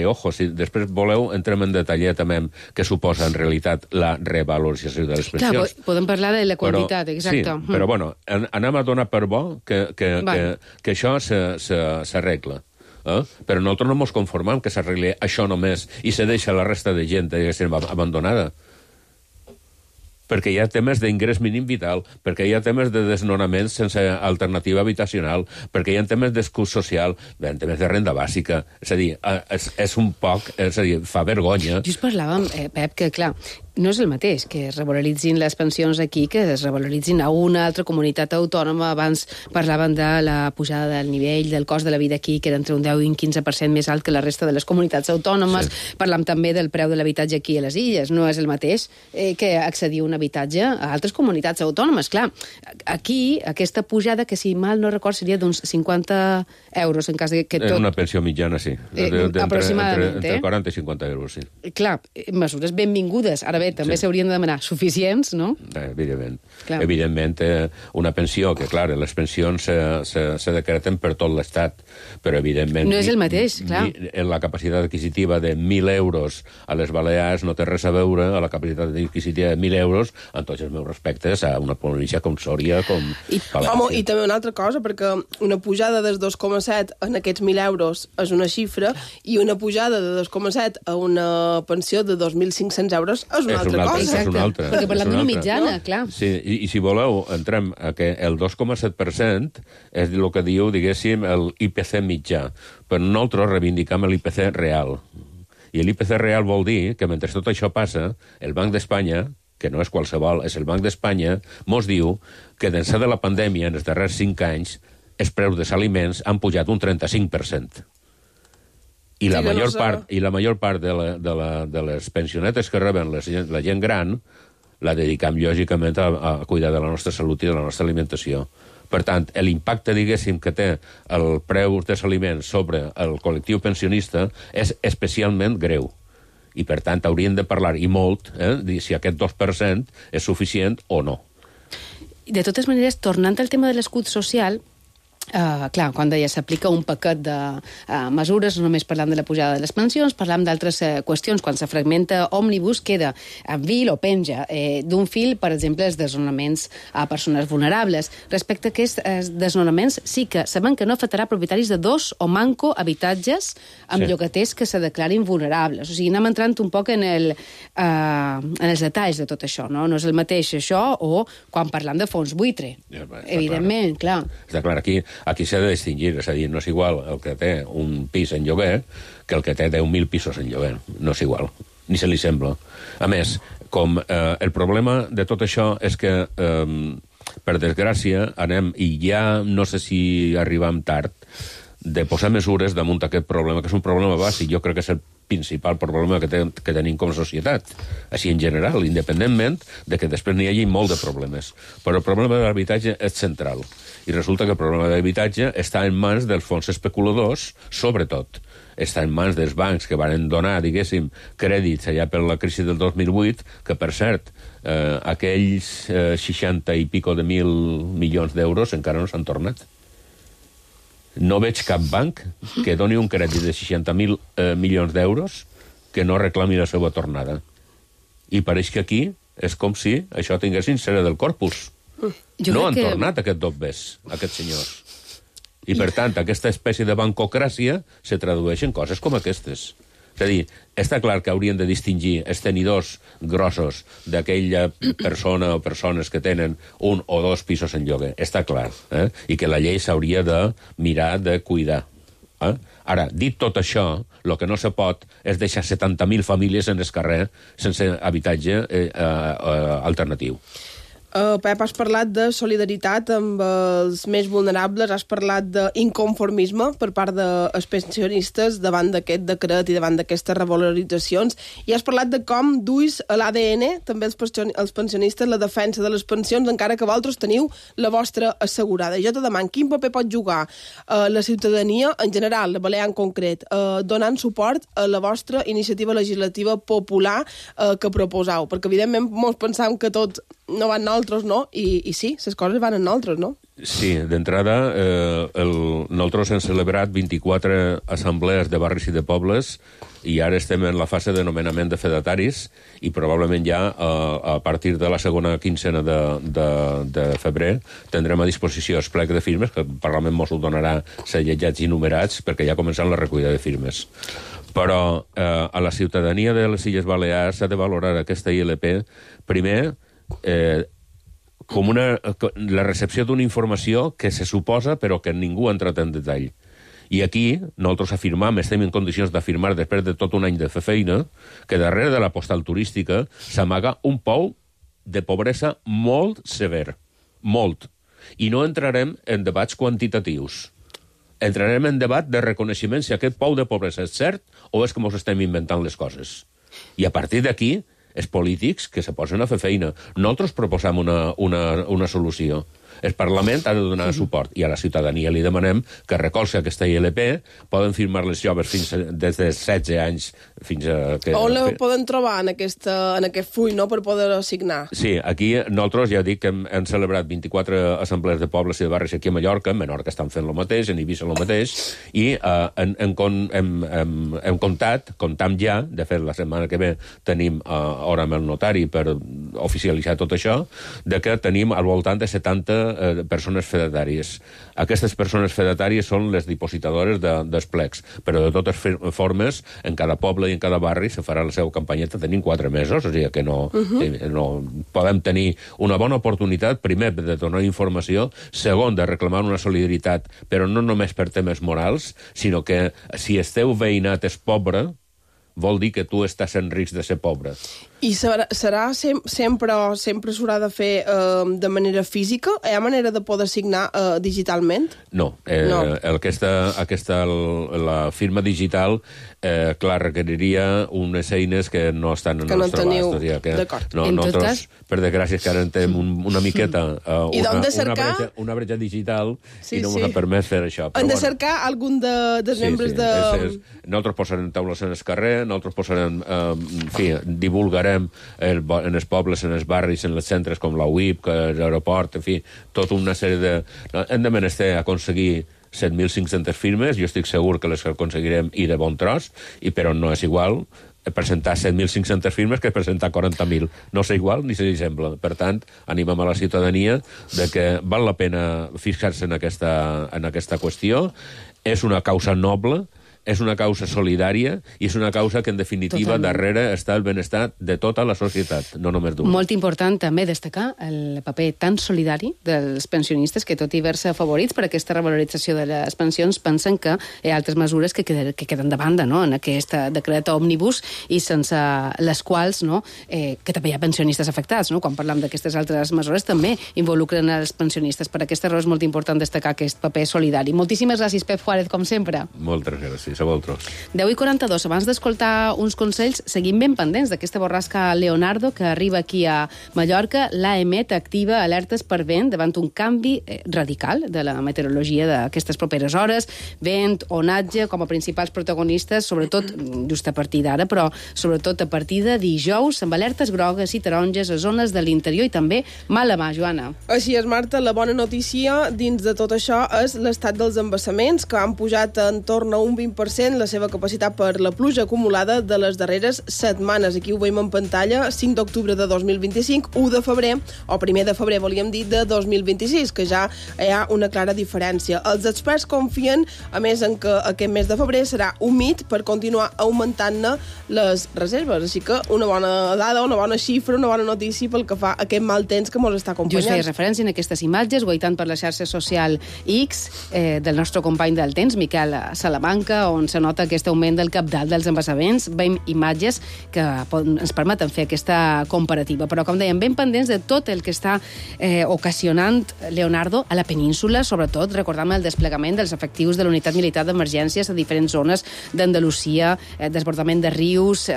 ojo, si després voleu, entrem en detallet també què suposa en realitat la revalorització de les pensions. Clar, podem parlar de la quantitat, exacte. Sí, però bueno, anem a donar per bo que això s'arregla. Però nosaltres no ens conformem que s'arregli això només i se deixa la resta de gent abandonada. Perquè hi ha temes d'ingrés mínim vital, perquè hi ha temes de desnonaments sense alternativa habitacional, perquè hi ha temes d'escut social, hi ha temes de renda bàsica. És a dir, és un poc... És a dir, fa vergonya. Just parlàvem, Pep, que clar, no és el mateix que es revaloritzin les pensions aquí que es revaloritzin a una altra comunitat autònoma. Abans parlaven de la pujada del nivell del cost de la vida aquí, que era entre un 10 i un 15% més alt que la resta de les comunitats autònomes. Sí. Parlam també del preu de l'habitatge aquí a les illes. No és el mateix que accedir a un habitatge a altres comunitats autònomes. Clar, aquí, aquesta pujada, que si mal no record seria d'uns 50 euros en cas que tot... Una pensió mitjana, sí. Aproximadament. Entre 40 i 50 euros, sí. Clar, mesures benvingudes. Ara bé, també s'haurien de demanar suficients, no? Evidentment. Evidentment, una pensió, que clar, les pensions se decreten per tot l'Estat, però evidentment... No és el mateix, clar. La capacitat adquisitiva de 1.000 euros a les Balears no té res a veure a la capacitat adquisitiva de 1.000 euros, en tots els meus respectes, a una província com Sòria, com València. Home, i també una altra cosa, perquè una pujada dels 2,7 en aquests 1.000 euros és una xifra, i una pujada de 2,7 a una pensió de 2.500 euros és una altra cosa. És una altra. Perquè parlem d'una mitjana, clar. Sí, i si voleu, entrem a que el 2,7% és el que diu, diguéssim, el IPC mitjà, però nosaltres reivindicam l'IPC real. I l'IPC real vol dir que mentre tot això passa, el Banc d'Espanya, que no és qualsevol, és el Banc d'Espanya, mos diu que d'ençà de la pandèmia, en els darrers 5 anys, els preus dels aliments han pujat un 35%. I la major part de les pensionetes que reben la gent gran la dedicam, lògicament, a cuidar de la nostra salut i de la nostra alimentació. Per tant, l'impacte, diguéssim, que té el preu dels aliments sobre el col·lectiu pensionista és especialment greu. I, per tant, hauríem de parlar, i molt, si aquest 2% és suficient o no. De totes maneres, tornant al tema de l'escut social, clar, quan deia s'aplica un paquet de mesures, no només parlant de la pujada de les pensions, parlam d'altres qüestions. Quan se fragmenta Òmnibus, queda en vil o penja d'un fil, per exemple, els desnonaments a persones vulnerables. Respecte a aquests desnonaments, sí que sabem que no afectarà propietaris de 2 o manco habitatges amb llogaters que se declarin vulnerables. O sigui, anem entrant un poc en els detalls de tot això, no? No és el mateix això o quan parlam de fons buitre. Evidentment, clar. Està clar, aquí s'ha de distingir, és a dir, no és igual el que té un pis en lloguer que el que té 10.000 pisos en lloguer. No és igual, ni se li sembla. A més, com el problema de tot això és que, per desgràcia, anem, i ja no sé si arribam tard, de posar mesures damunt aquest problema, que és un problema bàsic. Jo crec que és el principal problema que tenim com a societat, així en general, independentment de que després n'hi hagi molt de problemes. Però el problema de l'habitatge és central. I resulta que el problema de l'habitatge està en mans dels fons especuladors, sobretot. Està en mans dels bancs que van donar, diguéssim, crèdits allà per la crisi del 2008, que, per cert, aquells 60 i pico de mil milions d'euros encara no s'han tornat. No veig cap banc que doni un crèdit de 60.000 milions d'euros que no reclami la seva tornada. I pareix que aquí és com si això tinguessin cera del corpus. No han tornat aquest dobbers, aquests senyors. I, per tant, aquesta espècie de bancocràcia se tradueix en coses com aquestes. És a dir, està clar que haurien de distingir els tenidors grossos d'aquella persona o persones que tenen 1 o 2 pisos en lloguer. Està clar. I que la llei s'hauria de mirar de cuidar. Ara, dit tot això, el que no se pot és deixar 70.000 famílies en el carrer sense habitatge alternatiu. Pep, has parlat de solidaritat amb els més vulnerables, has parlat d'inconformisme per part dels pensionistes davant d'aquest decret i davant d'aquestes revaloritzacions, i has parlat de com duis a l'ADN, també els pensionistes, la defensa de les pensions, encara que vosaltres teniu la vostra assegurada. Jo te demano, quin paper pot jugar la ciutadania en general, la Balear en concret, donant suport a la vostra iniciativa legislativa popular que proposau? Perquè, evidentment, molts pensam que tot no van nosaltres, no? I sí, les coses van en nosaltres, no? Sí, d'entrada, nosaltres hem celebrat 24 assemblees de barris i de pobles i ara estem en la fase de nomenament de fedataris i probablement ja a partir de la segona quincena de febrer tindrem a disposició el plec de firmes, que el Parlament mos ho donarà segellats i numerats, perquè ja ha començat la recollida de firmes. Però a la ciutadania de les Illes Balears s'ha de valorar aquesta ILP, primer, com la recepció d'una informació que se suposa però que ningú ha entrat en detall. I aquí nosaltres afirmam, estem en condicions d'afirmar després de tot un any de fer feina, que darrere de la postal turística s'amaga un pou de pobresa molt sever, molt. I no entrarem en debats quantitatius. Entrarem en debat de reconeixement si aquest pou de pobresa és cert o és que ens estem inventant les coses. I a partir d'aquí, els polítics que se posen a fer feina. Nosaltres proposam una solució. El Parlament ha de donar suport i a la ciutadania li demanem que recolzi aquesta ILP. Poden firmar les joves des de 16 anys fins a... On la poden trobar en aquest full, no?, per poder signar? Sí, aquí nosaltres ja dic que hem celebrat 24 assemblees de pobles i de barris aquí a Mallorca, en Menorca estan fent el mateix, en Eivissa el mateix, i hem comptam ja, de fet la setmana que ve tenim hora amb el notari per oficialitzar tot això, de que tenim al voltant de 70 persones fedatàries. Aquestes persones fedatàries són les dipositadores dels plecs, però de totes formes, en cada poble i en cada barri se farà la seva campanyeta. Tenim 4 mesos, o sigui que no podem tenir una bona oportunitat, primer, de donar informació, segon, de reclamar una solidaritat, però no només per temes morals, sinó que si el teu veïnat és pobre, vol dir que tu estàs en risc de ser pobre. I sempre s'haurà de fer de manera física? Hi ha manera de poder signar digitalment? No. La firma digital, clar, requeriria unes eines que no estan en el nostre abast. D'acord. Nosaltres, per desgràcia, que ara en tenim una miqueta una bretxa digital i no ens ha permès fer això. Hem de cercar algun dels membres de... Nosaltres posarem taules en el carrer, nosaltres posarem, divulgarem en els pobles, en els barris, en els centres com la UIP, l'aeroport, en fi, tota una sèrie de... Hem de menester aconseguir 7.500 firmes, jo estic segur que les aconseguirem i de bon tros, però no és igual presentar 7.500 firmes que presentar 40.000. No és igual ni se li sembla. Per tant, animem a la ciutadania de que val la pena fixar-se en aquesta qüestió. És una causa noble, és una causa solidària i és una causa que, en definitiva, darrere està el benestar de tota la societat, no només d'un. Molt important també destacar el paper tan solidari dels pensionistes que, tot i haver-se afavorits per aquesta revalorització de les pensions, pensen que hi ha altres mesures que queden de banda, no?, en aquest decret òmnibus i sense les quals, no?, que també hi ha pensionistes afectats, no?, quan parlem d'aquestes altres mesures també involucren els pensionistes. Per aquesta raó és molt important destacar aquest paper solidari. Moltíssimes gràcies, Pep Juárez, com sempre. Moltes gràcies. A vosaltres. 10:42. Abans d'escoltar uns consells, seguim ben pendents d'aquesta borrasca Leonardo que arriba aquí a Mallorca. L'AEMET activa alertes per vent davant un canvi radical de la meteorologia d'aquestes properes hores. Vent, onatge, com a principals protagonistes, sobretot just a partir d'ara, però sobretot a partir de dijous, amb alertes grogues i taronges a zones de l'interior i també mala mà, Joana. Així és, Marta. La bona notícia dins de tot això és l'estat dels embassaments, que han pujat en torn a un 20% la seva capacitat per la pluja acumulada de les darreres setmanes. Aquí ho veiem en pantalla, 5 d'octubre de 2025, 1 de febrer, o 1 de febrer, volíem dir, de 2026, que ja hi ha una clara diferència. Els experts confien, a més, en que aquest mes de febrer serà humit per continuar augmentant-ne les reserves. Així que una bona dada, una bona xifra, una bona notícia pel que fa a aquest mal temps que ens està acompanyant. Just feia referència en aquestes imatges, guaitant per la xarxa social X del nostre company del temps, Miquel Salamanca, on se nota aquest augment del cabdal dels embassaments. Veiem imatges que ens permeten fer aquesta comparativa. Però, com dèiem, ben pendents de tot el que està ocasionant Leonardo a la península, sobretot recordant el desplegament dels efectius de l'unitat militar d'emergències a diferents zones d'Andalusia, desbordament de rius,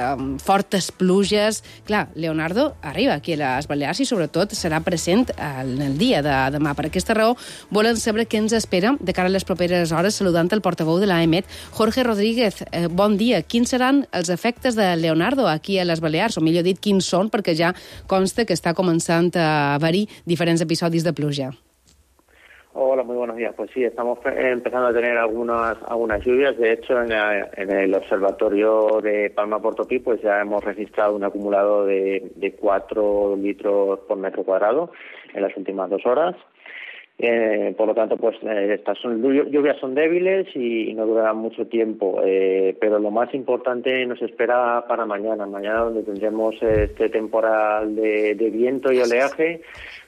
fortes pluges. Clar, Leonardo arriba aquí a les Balears i sobretot serà present en el dia de demà. Per aquesta raó volen saber què ens espera de cara a les properes hores, saludant el portaveu de l'AEMET, Jorge Rodríguez. Bon dia. Quins seran els efectes de Leonardo aquí a les Balears? O millor dit, quins són? Perquè ja consta que está comenzando a haver diferentes episodios de pluja. Hola, muy buenos días. Pues sí, estamos empezando a tener algunas lluvias. De hecho, en el observatorio de Palma-Portopí pues ya hemos registrado un acumulado de 4 litros por metro cuadrado en las últimas 2 horas. Por lo tanto, pues estas lluvias son débiles y no durarán mucho tiempo, pero lo más importante nos espera para mañana, donde tendremos este temporal de viento y oleaje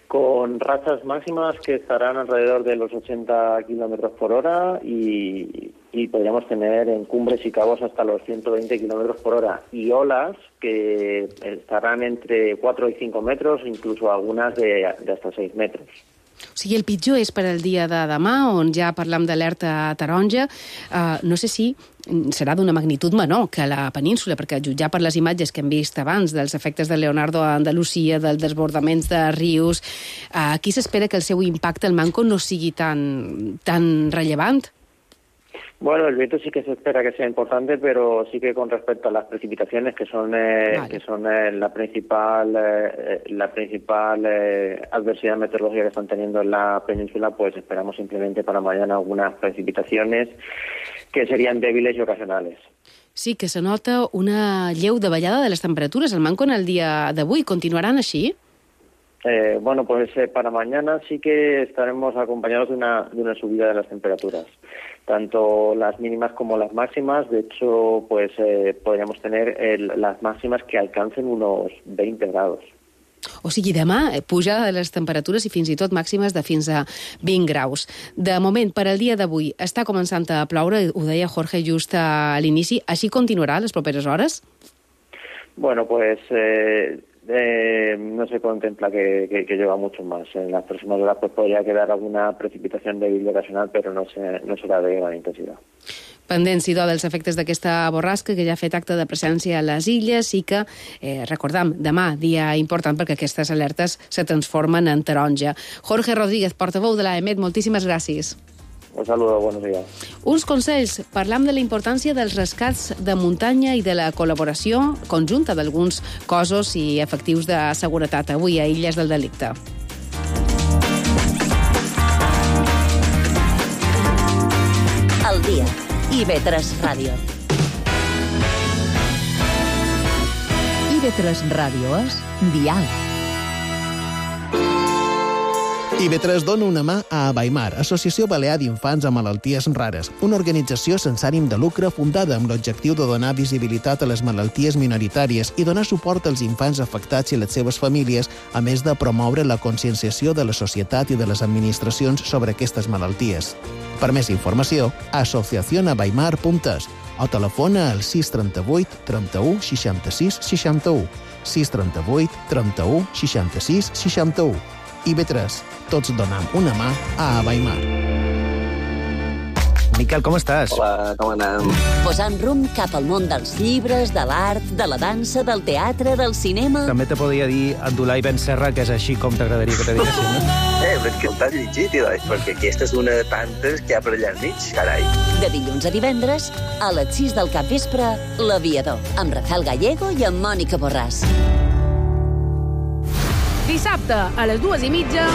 con rachas máximas que estarán alrededor de los 80 kilómetros por hora y podríamos tener en cumbres y cabos hasta los 120 kilómetros por hora y olas que estarán entre 4 y 5 metros, incluso algunas de hasta 6 metros. O sigui, el pitjor és per al dia de demà, on ja parlam d'alerta taronja. No sé si serà d'una magnitud menor que la península, perquè jutjar per les imatges que hem vist abans dels efectes de Leonardo a Andalusia, dels desbordaments de rius, aquí s'espera que el seu impacte al Manco no sigui tan rellevant? Bueno, el viento sí que se espera que sea importante, pero sí que con respecto a las precipitaciones, que son la principal adversidad meteorológica que están teniendo en la península, pues esperamos simplemente para mañana algunas precipitaciones que serían débiles y ocasionales. Sí, que se nota una lleu davallada de les temperatures al Manco en el dia d'avui. Continuaran així? Bueno, pues para mañana sí que estaremos acompañados de una subida de las temperaturas, tanto las mínimas como las máximas. De hecho, pues podríamos tener las máximas que alcancen unos 20 grados. O sigui, demà puja les temperatures i fins i tot màximes de fins a 20 graus. De moment, per al dia d'avui, està començant a ploure, ho deia Jorge just a l'inici. Així continuarà les properes hores? Bueno, pues no se contempla que llueva mucho más. En las próximas horas pues podría quedar alguna precipitación débil y ocasional, pero no será de gran intensidad. Pendents, idò, dels efectes d'aquesta borrasca que ja ha fet acte de presència a les illes i que, recordam, demà, dia important perquè aquestes alertes se transformen en taronja. Jorge Rodríguez, portaveu de l'AEMET, moltíssimes gràcies. Un saludo, buenos días. Uns consells. Parlam de la importància dels rescats de muntanya i de la col·laboració conjunta d'alguns cossos i efectius de seguretat avui a Illes del Delicte. El dia. IB3 Ràdio. IB3 Ràdio és diàleg. IB3 dona una mà a Abaimar, Associació Balear d'Infants amb Malalties Rares, una organització sense ànim de lucre fundada amb l'objectiu de donar visibilitat a les malalties minoritàries i donar suport als infants afectats i les seves famílies, a més de promoure la conscienciació de la societat i de les administracions sobre aquestes malalties. Per més informació, asociacionabaimar.es o telefona al 638 31 66 61, 638 31 66 61. IB3, tots donem una mà a Abaimar. Miquel, com estàs? Hola, com anem? Posant rumb cap al món dels llibres, de l'art, de la dansa, del teatre, del cinema... També te podria dir Abdulai Ben Serra, que és així com t'agradaria que te diguessin, no? Però és que t'has llegit, perquè aquesta és una de tantes que hi ha per allà al mig, carai. De dilluns a divendres, a les 6 del capvespre, L'Aviador, amb Rafael Gallego i amb Mònica Borràs. Dissabte, a les 2:30...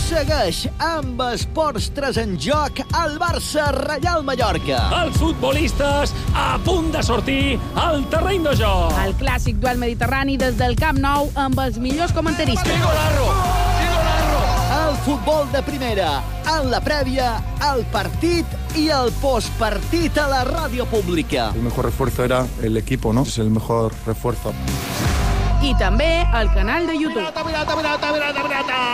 Segueix amb Esports 3 en joc al Barça-Reial Mallorca. Els futbolistes a punt de sortir al terreny de joc. El clàssic duel mediterrani des del Camp Nou amb els millors comentaristes. Golazo! El futbol de primera, en la prèvia, el partit i el postpartit a la ràdio pública. El mejor refuerzo era el equipo, ¿no? Es el mejor refuerzo. I també al canal de YouTube.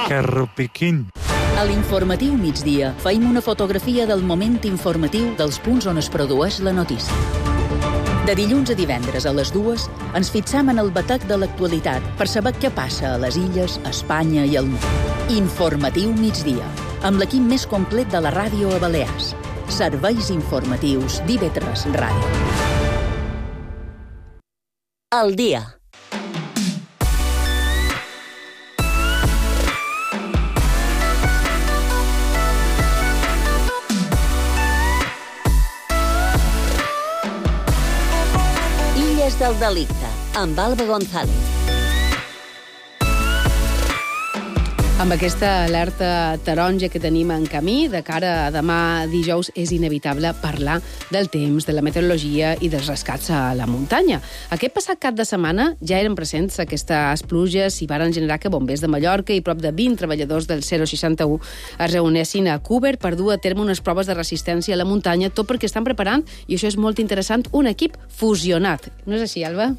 Que rupiquín. A l'informatiu migdia feim una fotografia del moment informatiu dels punts on es produeix la notícia. De dilluns a divendres a les 2 ens fixam en el batec de l'actualitat per saber què passa a les illes, a Espanya i al món. Informatiu migdia, amb l'equip més complet de la ràdio a Balears. Serveis informatius d'IV3 Ràdio. El dia. Illes del delicte, amb Alba González. Amb aquesta alerta taronja que tenim en camí, de cara a demà dijous, és inevitable parlar del temps, de la meteorologia i dels rescats a la muntanya. Aquest passat cap de setmana ja eren presents aquestes pluges i varen generar que bombers de Mallorca i prop de 20 treballadors del 061 es reunessin a Cúber per dur a terme unes proves de resistència a la muntanya, tot perquè estan preparant, i això és molt interessant, un equip fusionat. No és així, Alba?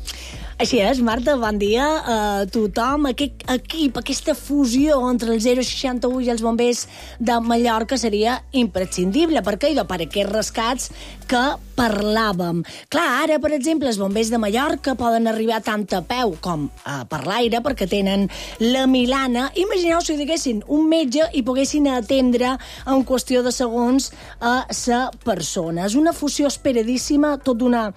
Així és, Marta, bon dia a tothom. Aquest equip, aquesta fusió entre el 061 i els bombers de Mallorca seria imprescindible. Per què? Per aquests rescats que parlàvem. Clar, ara, per exemple, els bombers de Mallorca poden arribar tant a peu com per l'aire perquè tenen la Milana. Imagineu si diguessin un metge i poguessin atendre en qüestió de segons a la persona. És una fusió esperadíssima, tot d'una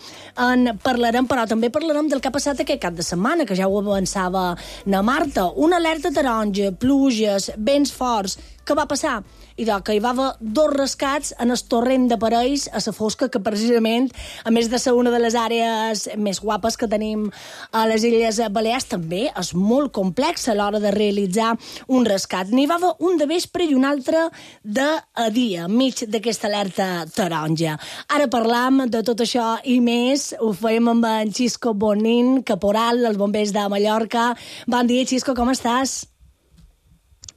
en parlarem, però també parlarem del que ha passat aquest cap de setmana, que ja ho avançava na Marta. Una alerta taronja, pluges, vents forts. Què va passar? Que hi va haver 2 rescats en el torrent de Parells a la fosca, que precisament, a més de ser una de les àrees més guapes que tenim a les Illes Balears, també és molt complex a l'hora de realitzar un rescat. N'hi va haver un de vespre i un altre de dia, enmig d'aquesta alerta taronja. Ara parlam de tot això i més. Ho farem amb en Xisco Bonin, caporal dels bombers de Mallorca. Bon dia, Xisco, com estàs?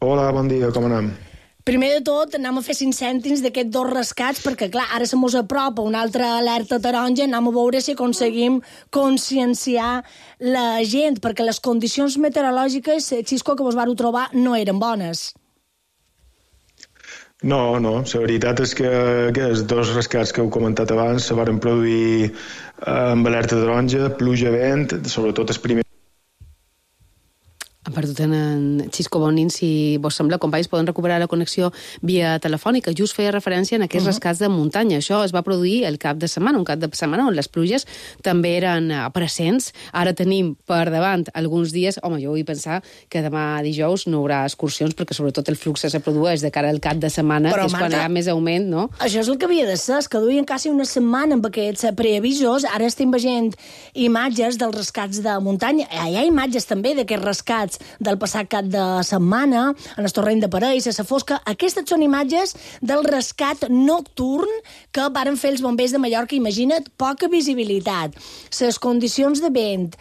Hola, bon dia, com anem? Primer de tot, anem a fer 5 cèntims d'aquests 2 rescats, perquè, clar, ara se mos apropa una altra alerta taronja, anem a veure si aconseguim conscienciar la gent, perquè les condicions meteorològiques, Xisco, que vos vau trobar, no eren bones. No, la veritat és que aquests 2 rescats que heu comentat abans se varen produir amb alerta taronja, pluja, vent, sobretot el primer. Hem perdut en Xisco Bonin, si vos sembla, companys, poden recuperar la connexió via telefònica. Just feia referència en aquests rescats de muntanya. Això es va produir el cap de setmana, un cap de setmana on les pluges també eren presents. Ara tenim per davant alguns dies. Home, jo vull pensar que demà dijous no hi haurà excursions, perquè sobretot el flux se produeix de cara al cap de setmana, però, que és Marta, quan hi ha més augment, no? Això és el que havia de ser, és que duien quasi una setmana amb aquests preavisos. Ara estem veient imatges dels rescats de muntanya. Hi ha imatges també d'aquests rescats del passat cap de setmana, en el torrent de Parells, a la fosca. Aquestes són imatges del rescat nocturn que varen fer els bombers de Mallorca. Imagina't, poca visibilitat, les condicions de vent,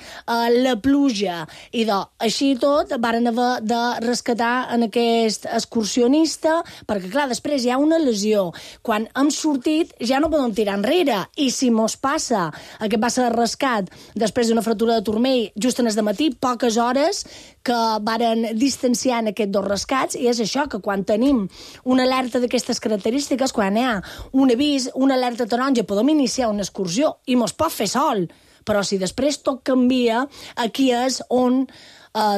la pluja, i així tot varen haver de rescatar en aquest excursionista, perquè, clar, després hi ha una lesió. Quan hem sortit ja no podem tirar enrere, i si mos passa aquest va ser rescat després d'una fractura de turmell just en el matí, poques hores que varen distanciar en aquests 2 rescats, i és això, que quan tenim una alerta d'aquestes característiques, quan hi ha un avís, una alerta taronja, podem iniciar una excursió i mos pot fer sol, però si després tot canvia, aquí és on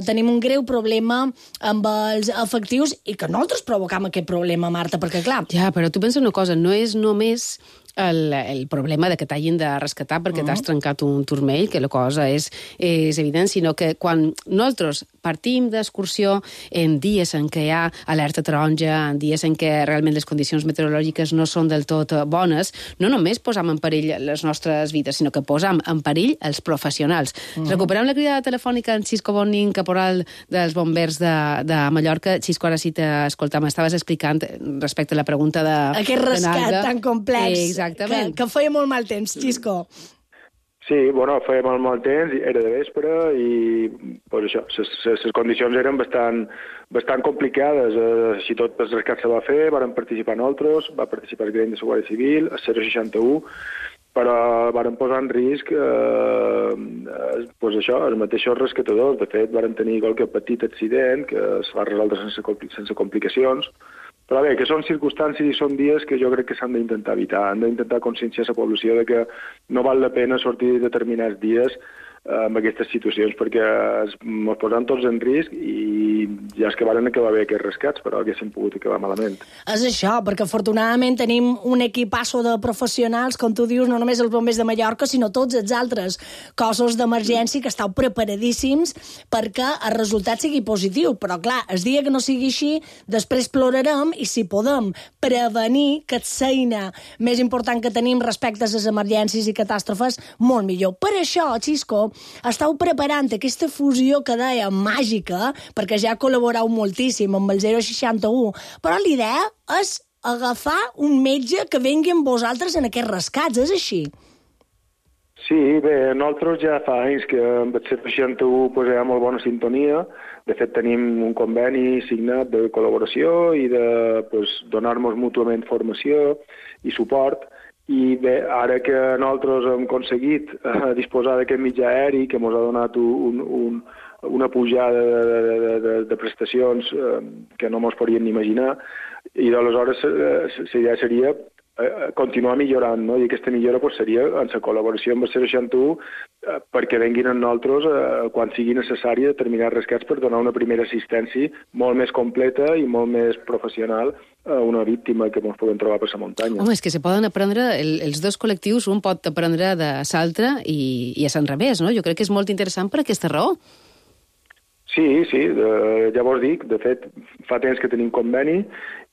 tenim un greu problema amb els efectius, i que nosaltres provocam aquest problema, Marta, perquè clar... Ja, però tu pensa una cosa, no és només el problema de que t'hagin de rescatar perquè t'has trencat un turmell, que la cosa és evident, sinó que quan nosaltres partim d'excursió en dies en què hi ha alerta taronja, en dies en què realment les condicions meteorològiques no són del tot bones, no només posam en perill les nostres vides, sinó que posam en perill els professionals. Recuperem la crida telefònica en Xisco Bonin, caporal dels bombers de Mallorca. Xisco, ara sí t'escoltam, estaves explicant respecte a la pregunta de... Aquest rescat tan complex. Exactament. Que feia molt mal temps, Xisco. Sí, feia molt mal temps, era de vespre i pues això, les condicions eren bastant complicades. Si tot el rescat se va fer, varen participar nosaltres, va participar el Gremi de la Guàrdia Civil, el 061, però varen posar en risc els mateixos rescatadors. De fet, varen tenir qualque petit accident que es va resoldre sense complicacions. Però bé, que són circumstàncies i són dies que jo crec que s'han d'intentar evitar. Han d'intentar conscienciar la població de que no val la pena sortir determinats dies amb aquestes situacions, perquè ens posaran tots en risc i ja és que varen acabar bé aquests rescats, però haguessin pogut acabar malament. És això, perquè afortunadament tenim un equipasso de professionals, com tu dius, no només els bombers de Mallorca, sinó tots els altres cossos d'emergència que esteu preparadíssims perquè el resultat sigui positiu. Però clar, el dia que no sigui així, després plorarem i si podem prevenir que és l'eina més important que tenim respecte a les emergències i catàstrofes, molt millor. Per això, Xisco, estàu preparant aquesta fusió que deia màgica, perquè ja col·laboreu moltíssim amb el 061, però l'idea és agafar un metge que vengui amb vosaltres en aquests rescats, és així? Sí, bé, nosaltres ja fa anys que amb el 061 hi ha molt bona sintonia. De fet, tenim un conveni signat de col·laboració i de donar-nos mútuament formació i suport. I bé, ara que nosaltres hem aconseguit disposar d'aquest mitjà aeri que ens ha donat una pujada de prestacions que no ens podríem ni imaginar, i d'aleshores la idea seria continuar millorant, no? I aquesta millora seria en la col·laboració amb el 061 perquè venguin amb nosaltres quan sigui necessari determinats rescats per donar una primera assistència molt més completa i molt més professional a una víctima que ens podem trobar per la muntanya. Home, és que se poden aprendre, els dos col·lectius, un pot aprendre de l'altre i a l'enrevés, no? Jo crec que és molt interessant per aquesta raó. Sí, ja vos dic, de fet, fa temps que tenim conveni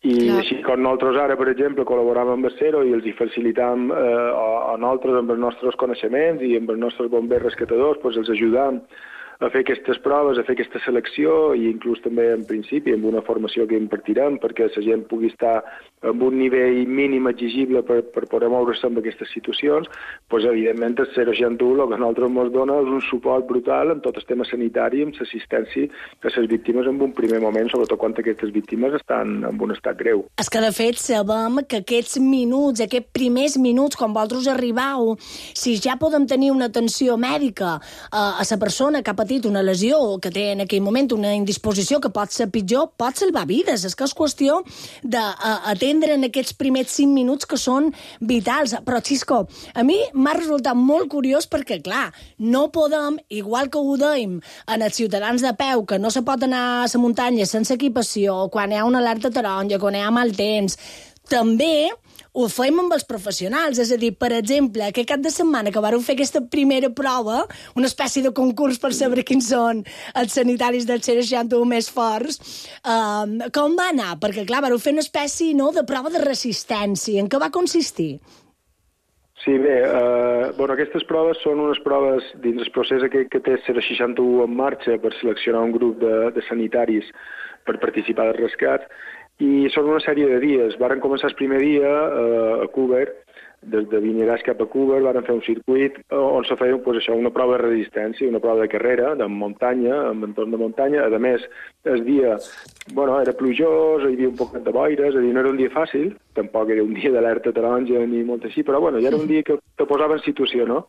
i així com nosaltres ara, per exemple, col·laboram amb el Cero i els hi facilitam a nosaltres amb els nostres coneixements i amb els nostres bombers rescatadors, els ajudam a fer aquestes proves, a fer aquesta selecció i inclús també en principi amb una formació que impartirem perquè la gent pugui estar amb un nivell mínim exigible per poder moure's en aquestes situacions, evidentment el 061 el que a nosaltres ens dona és un suport brutal en tot el tema sanitari, amb l'assistència a les víctimes en un primer moment, sobretot quan aquestes víctimes estan en un estat greu. És que de fet sabem que aquests minuts, aquests primers minuts, quan vosaltres arribau, si ja podem tenir una atenció mèdica a la persona que ha patit una lesió o que té en aquell moment una indisposició que pot ser pitjor, pot salvar vides. És que és qüestió d'atendre en aquests primers 5 minuts que són vitals. Però, Xisco, a mi m'ha resultat molt curiós perquè, clar, no podem, igual que ho dèiem en els ciutadans de peu, que no se pot anar a la muntanya sense equipació, quan hi ha una alerta taronja, quan hi ha mal temps, també ho fem amb els professionals, és a dir, per exemple, aquest cap de setmana que vareu fer aquesta primera prova, una espècie de concurs per saber quins són els sanitaris del 061 més forts, com va anar? Perquè, clar, vareu fer una espècie de prova de resistència. En què va consistir? Sí, bé, aquestes proves són unes proves dins el procés que té el 061 en marxa per seleccionar un grup de sanitaris per participar dels rescats, i són una sèrie de dies. Varen començar el primer dia a Cúber, des de Vinaràs cap a Cúber, varen fer un circuit on se feia una prova de resistència, una prova de carrera, de muntanya, amb entorn de muntanya. A més, el dia era plujós, hi havia un poc de boires, és a dir, no era un dia fàcil, tampoc era un dia d'alerta taronja ni molt així, però ja era un dia que te posava en situació, no?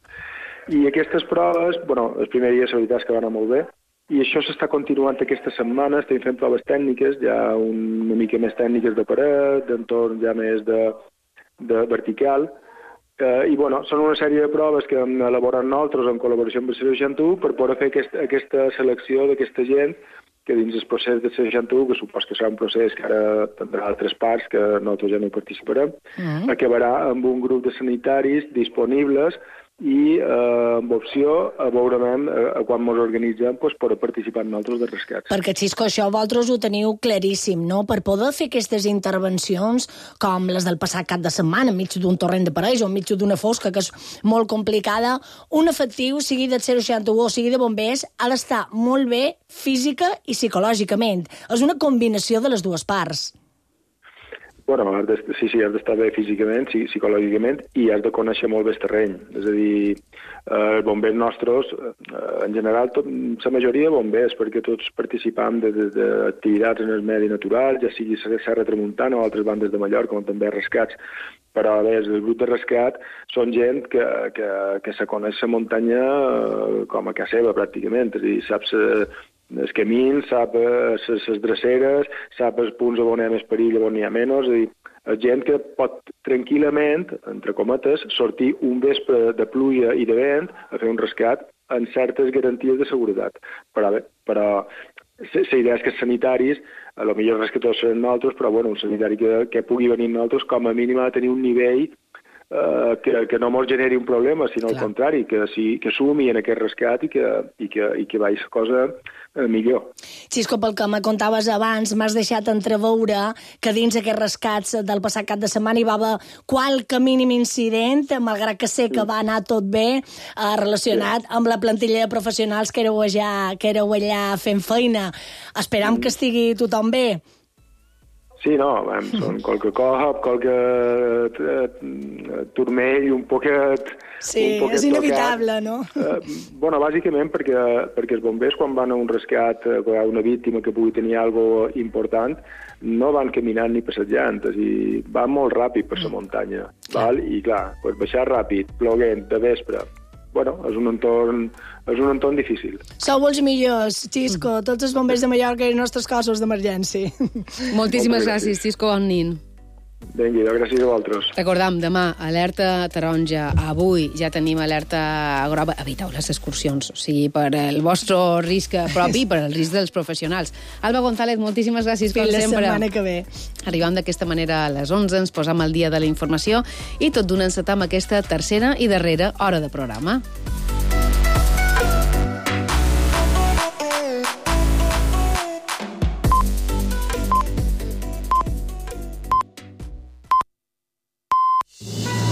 I aquestes proves, el primer dia la veritat és que va anar molt bé, i això s'està continuant aquesta setmana, estem fent proves tècniques, ja una mica més tècniques de paret, d'entorn ja més de vertical, i són una sèrie de proves que hem elaborat nosaltres en col·laboració amb el 061 per poder fer aquesta selecció d'aquesta gent que dins el procés del 061, que supos que serà un procés que ara tindrà altres parts, que nosaltres ja no hi participarem, acabarà amb un grup de sanitaris disponibles i amb opció a veurem quan ens organitzem per participar en altres de rescats. Perquè, Xisco, això vosaltres ho teniu claríssim, no? Per poder fer aquestes intervencions com les del passat cap de setmana, enmig d'un torrent de parells o enmig d'una fosca, que és molt complicada, un efectiu, sigui del 061 o sigui de bombers, ha d'estar molt bé física i psicològicament. És una combinació de les dues parts. Bueno, has d'estar bé físicament, psicològicament, i has de conèixer molt bé el terreny. És a dir, els bombers nostres, en general, la majoria de bombers, perquè tots participam d'activitats en el medi natural, ja sigui Serra Tramuntana o altres bandes de Mallorca, on també rescats. Però, bé, el grup de rescat són gent que se coneix la muntanya com a casa seva, pràcticament. És a dir, saps els camins, sap les dreceres, sap els punts on hi ha més perill, on hi ha menys. És a dir, gent que pot tranquil·lament, entre cometes, sortir un vespre de pluja i de vent a fer un rescat amb certes garanties de seguretat. Però la idea és que els sanitaris, a lo millor els rescators seran nosaltres, però bueno, un sanitari que pugui venir nosaltres com a mínim ha de tenir un nivell que no ens generi un problema, sinó al contrari, que sumi en aquest rescat i que vagi la cosa millor. Xisco, pel que me contaves abans, m'has deixat entreveure que dins aquests rescats del passat cap de setmana hi va haver qualque mínim incident, malgrat que sé que va anar tot bé, relacionat amb la plantilla de professionals que éreu allà fent feina. Esperam que estigui tothom bé. Sí, no, són qualque cop, qualque turmell, un poquet... Sí, és inevitable, no? Bueno, bàsicament perquè els bombers, quan van a un rescat, quan hi ha una víctima que pugui tenir alguna cosa important, no van caminant ni passejant, és a dir, van molt ràpid per la muntanya, val? I clar, baixar ràpid, ploguent, de vespre, bueno, és un entorn difícil. Sou els millors, Xisco, tots els bombers de Mallorca i els nostres cossos d'emergència. Moltíssimes gràcies, Xisco, bon nit. Vinga, gràcies a vosaltres. Recordam, demà, alerta taronja. Avui ja tenim alerta groga. Eviteu les excursions, o sigui, per el vostre risc propi i per el risc dels professionals. Alba González, moltíssimes gràcies, com sempre. Fins la setmana que ve. Arribam d'aquesta manera a les 11, ens posam al dia de la informació i tot d'una encetam aquesta tercera i darrera hora de programa.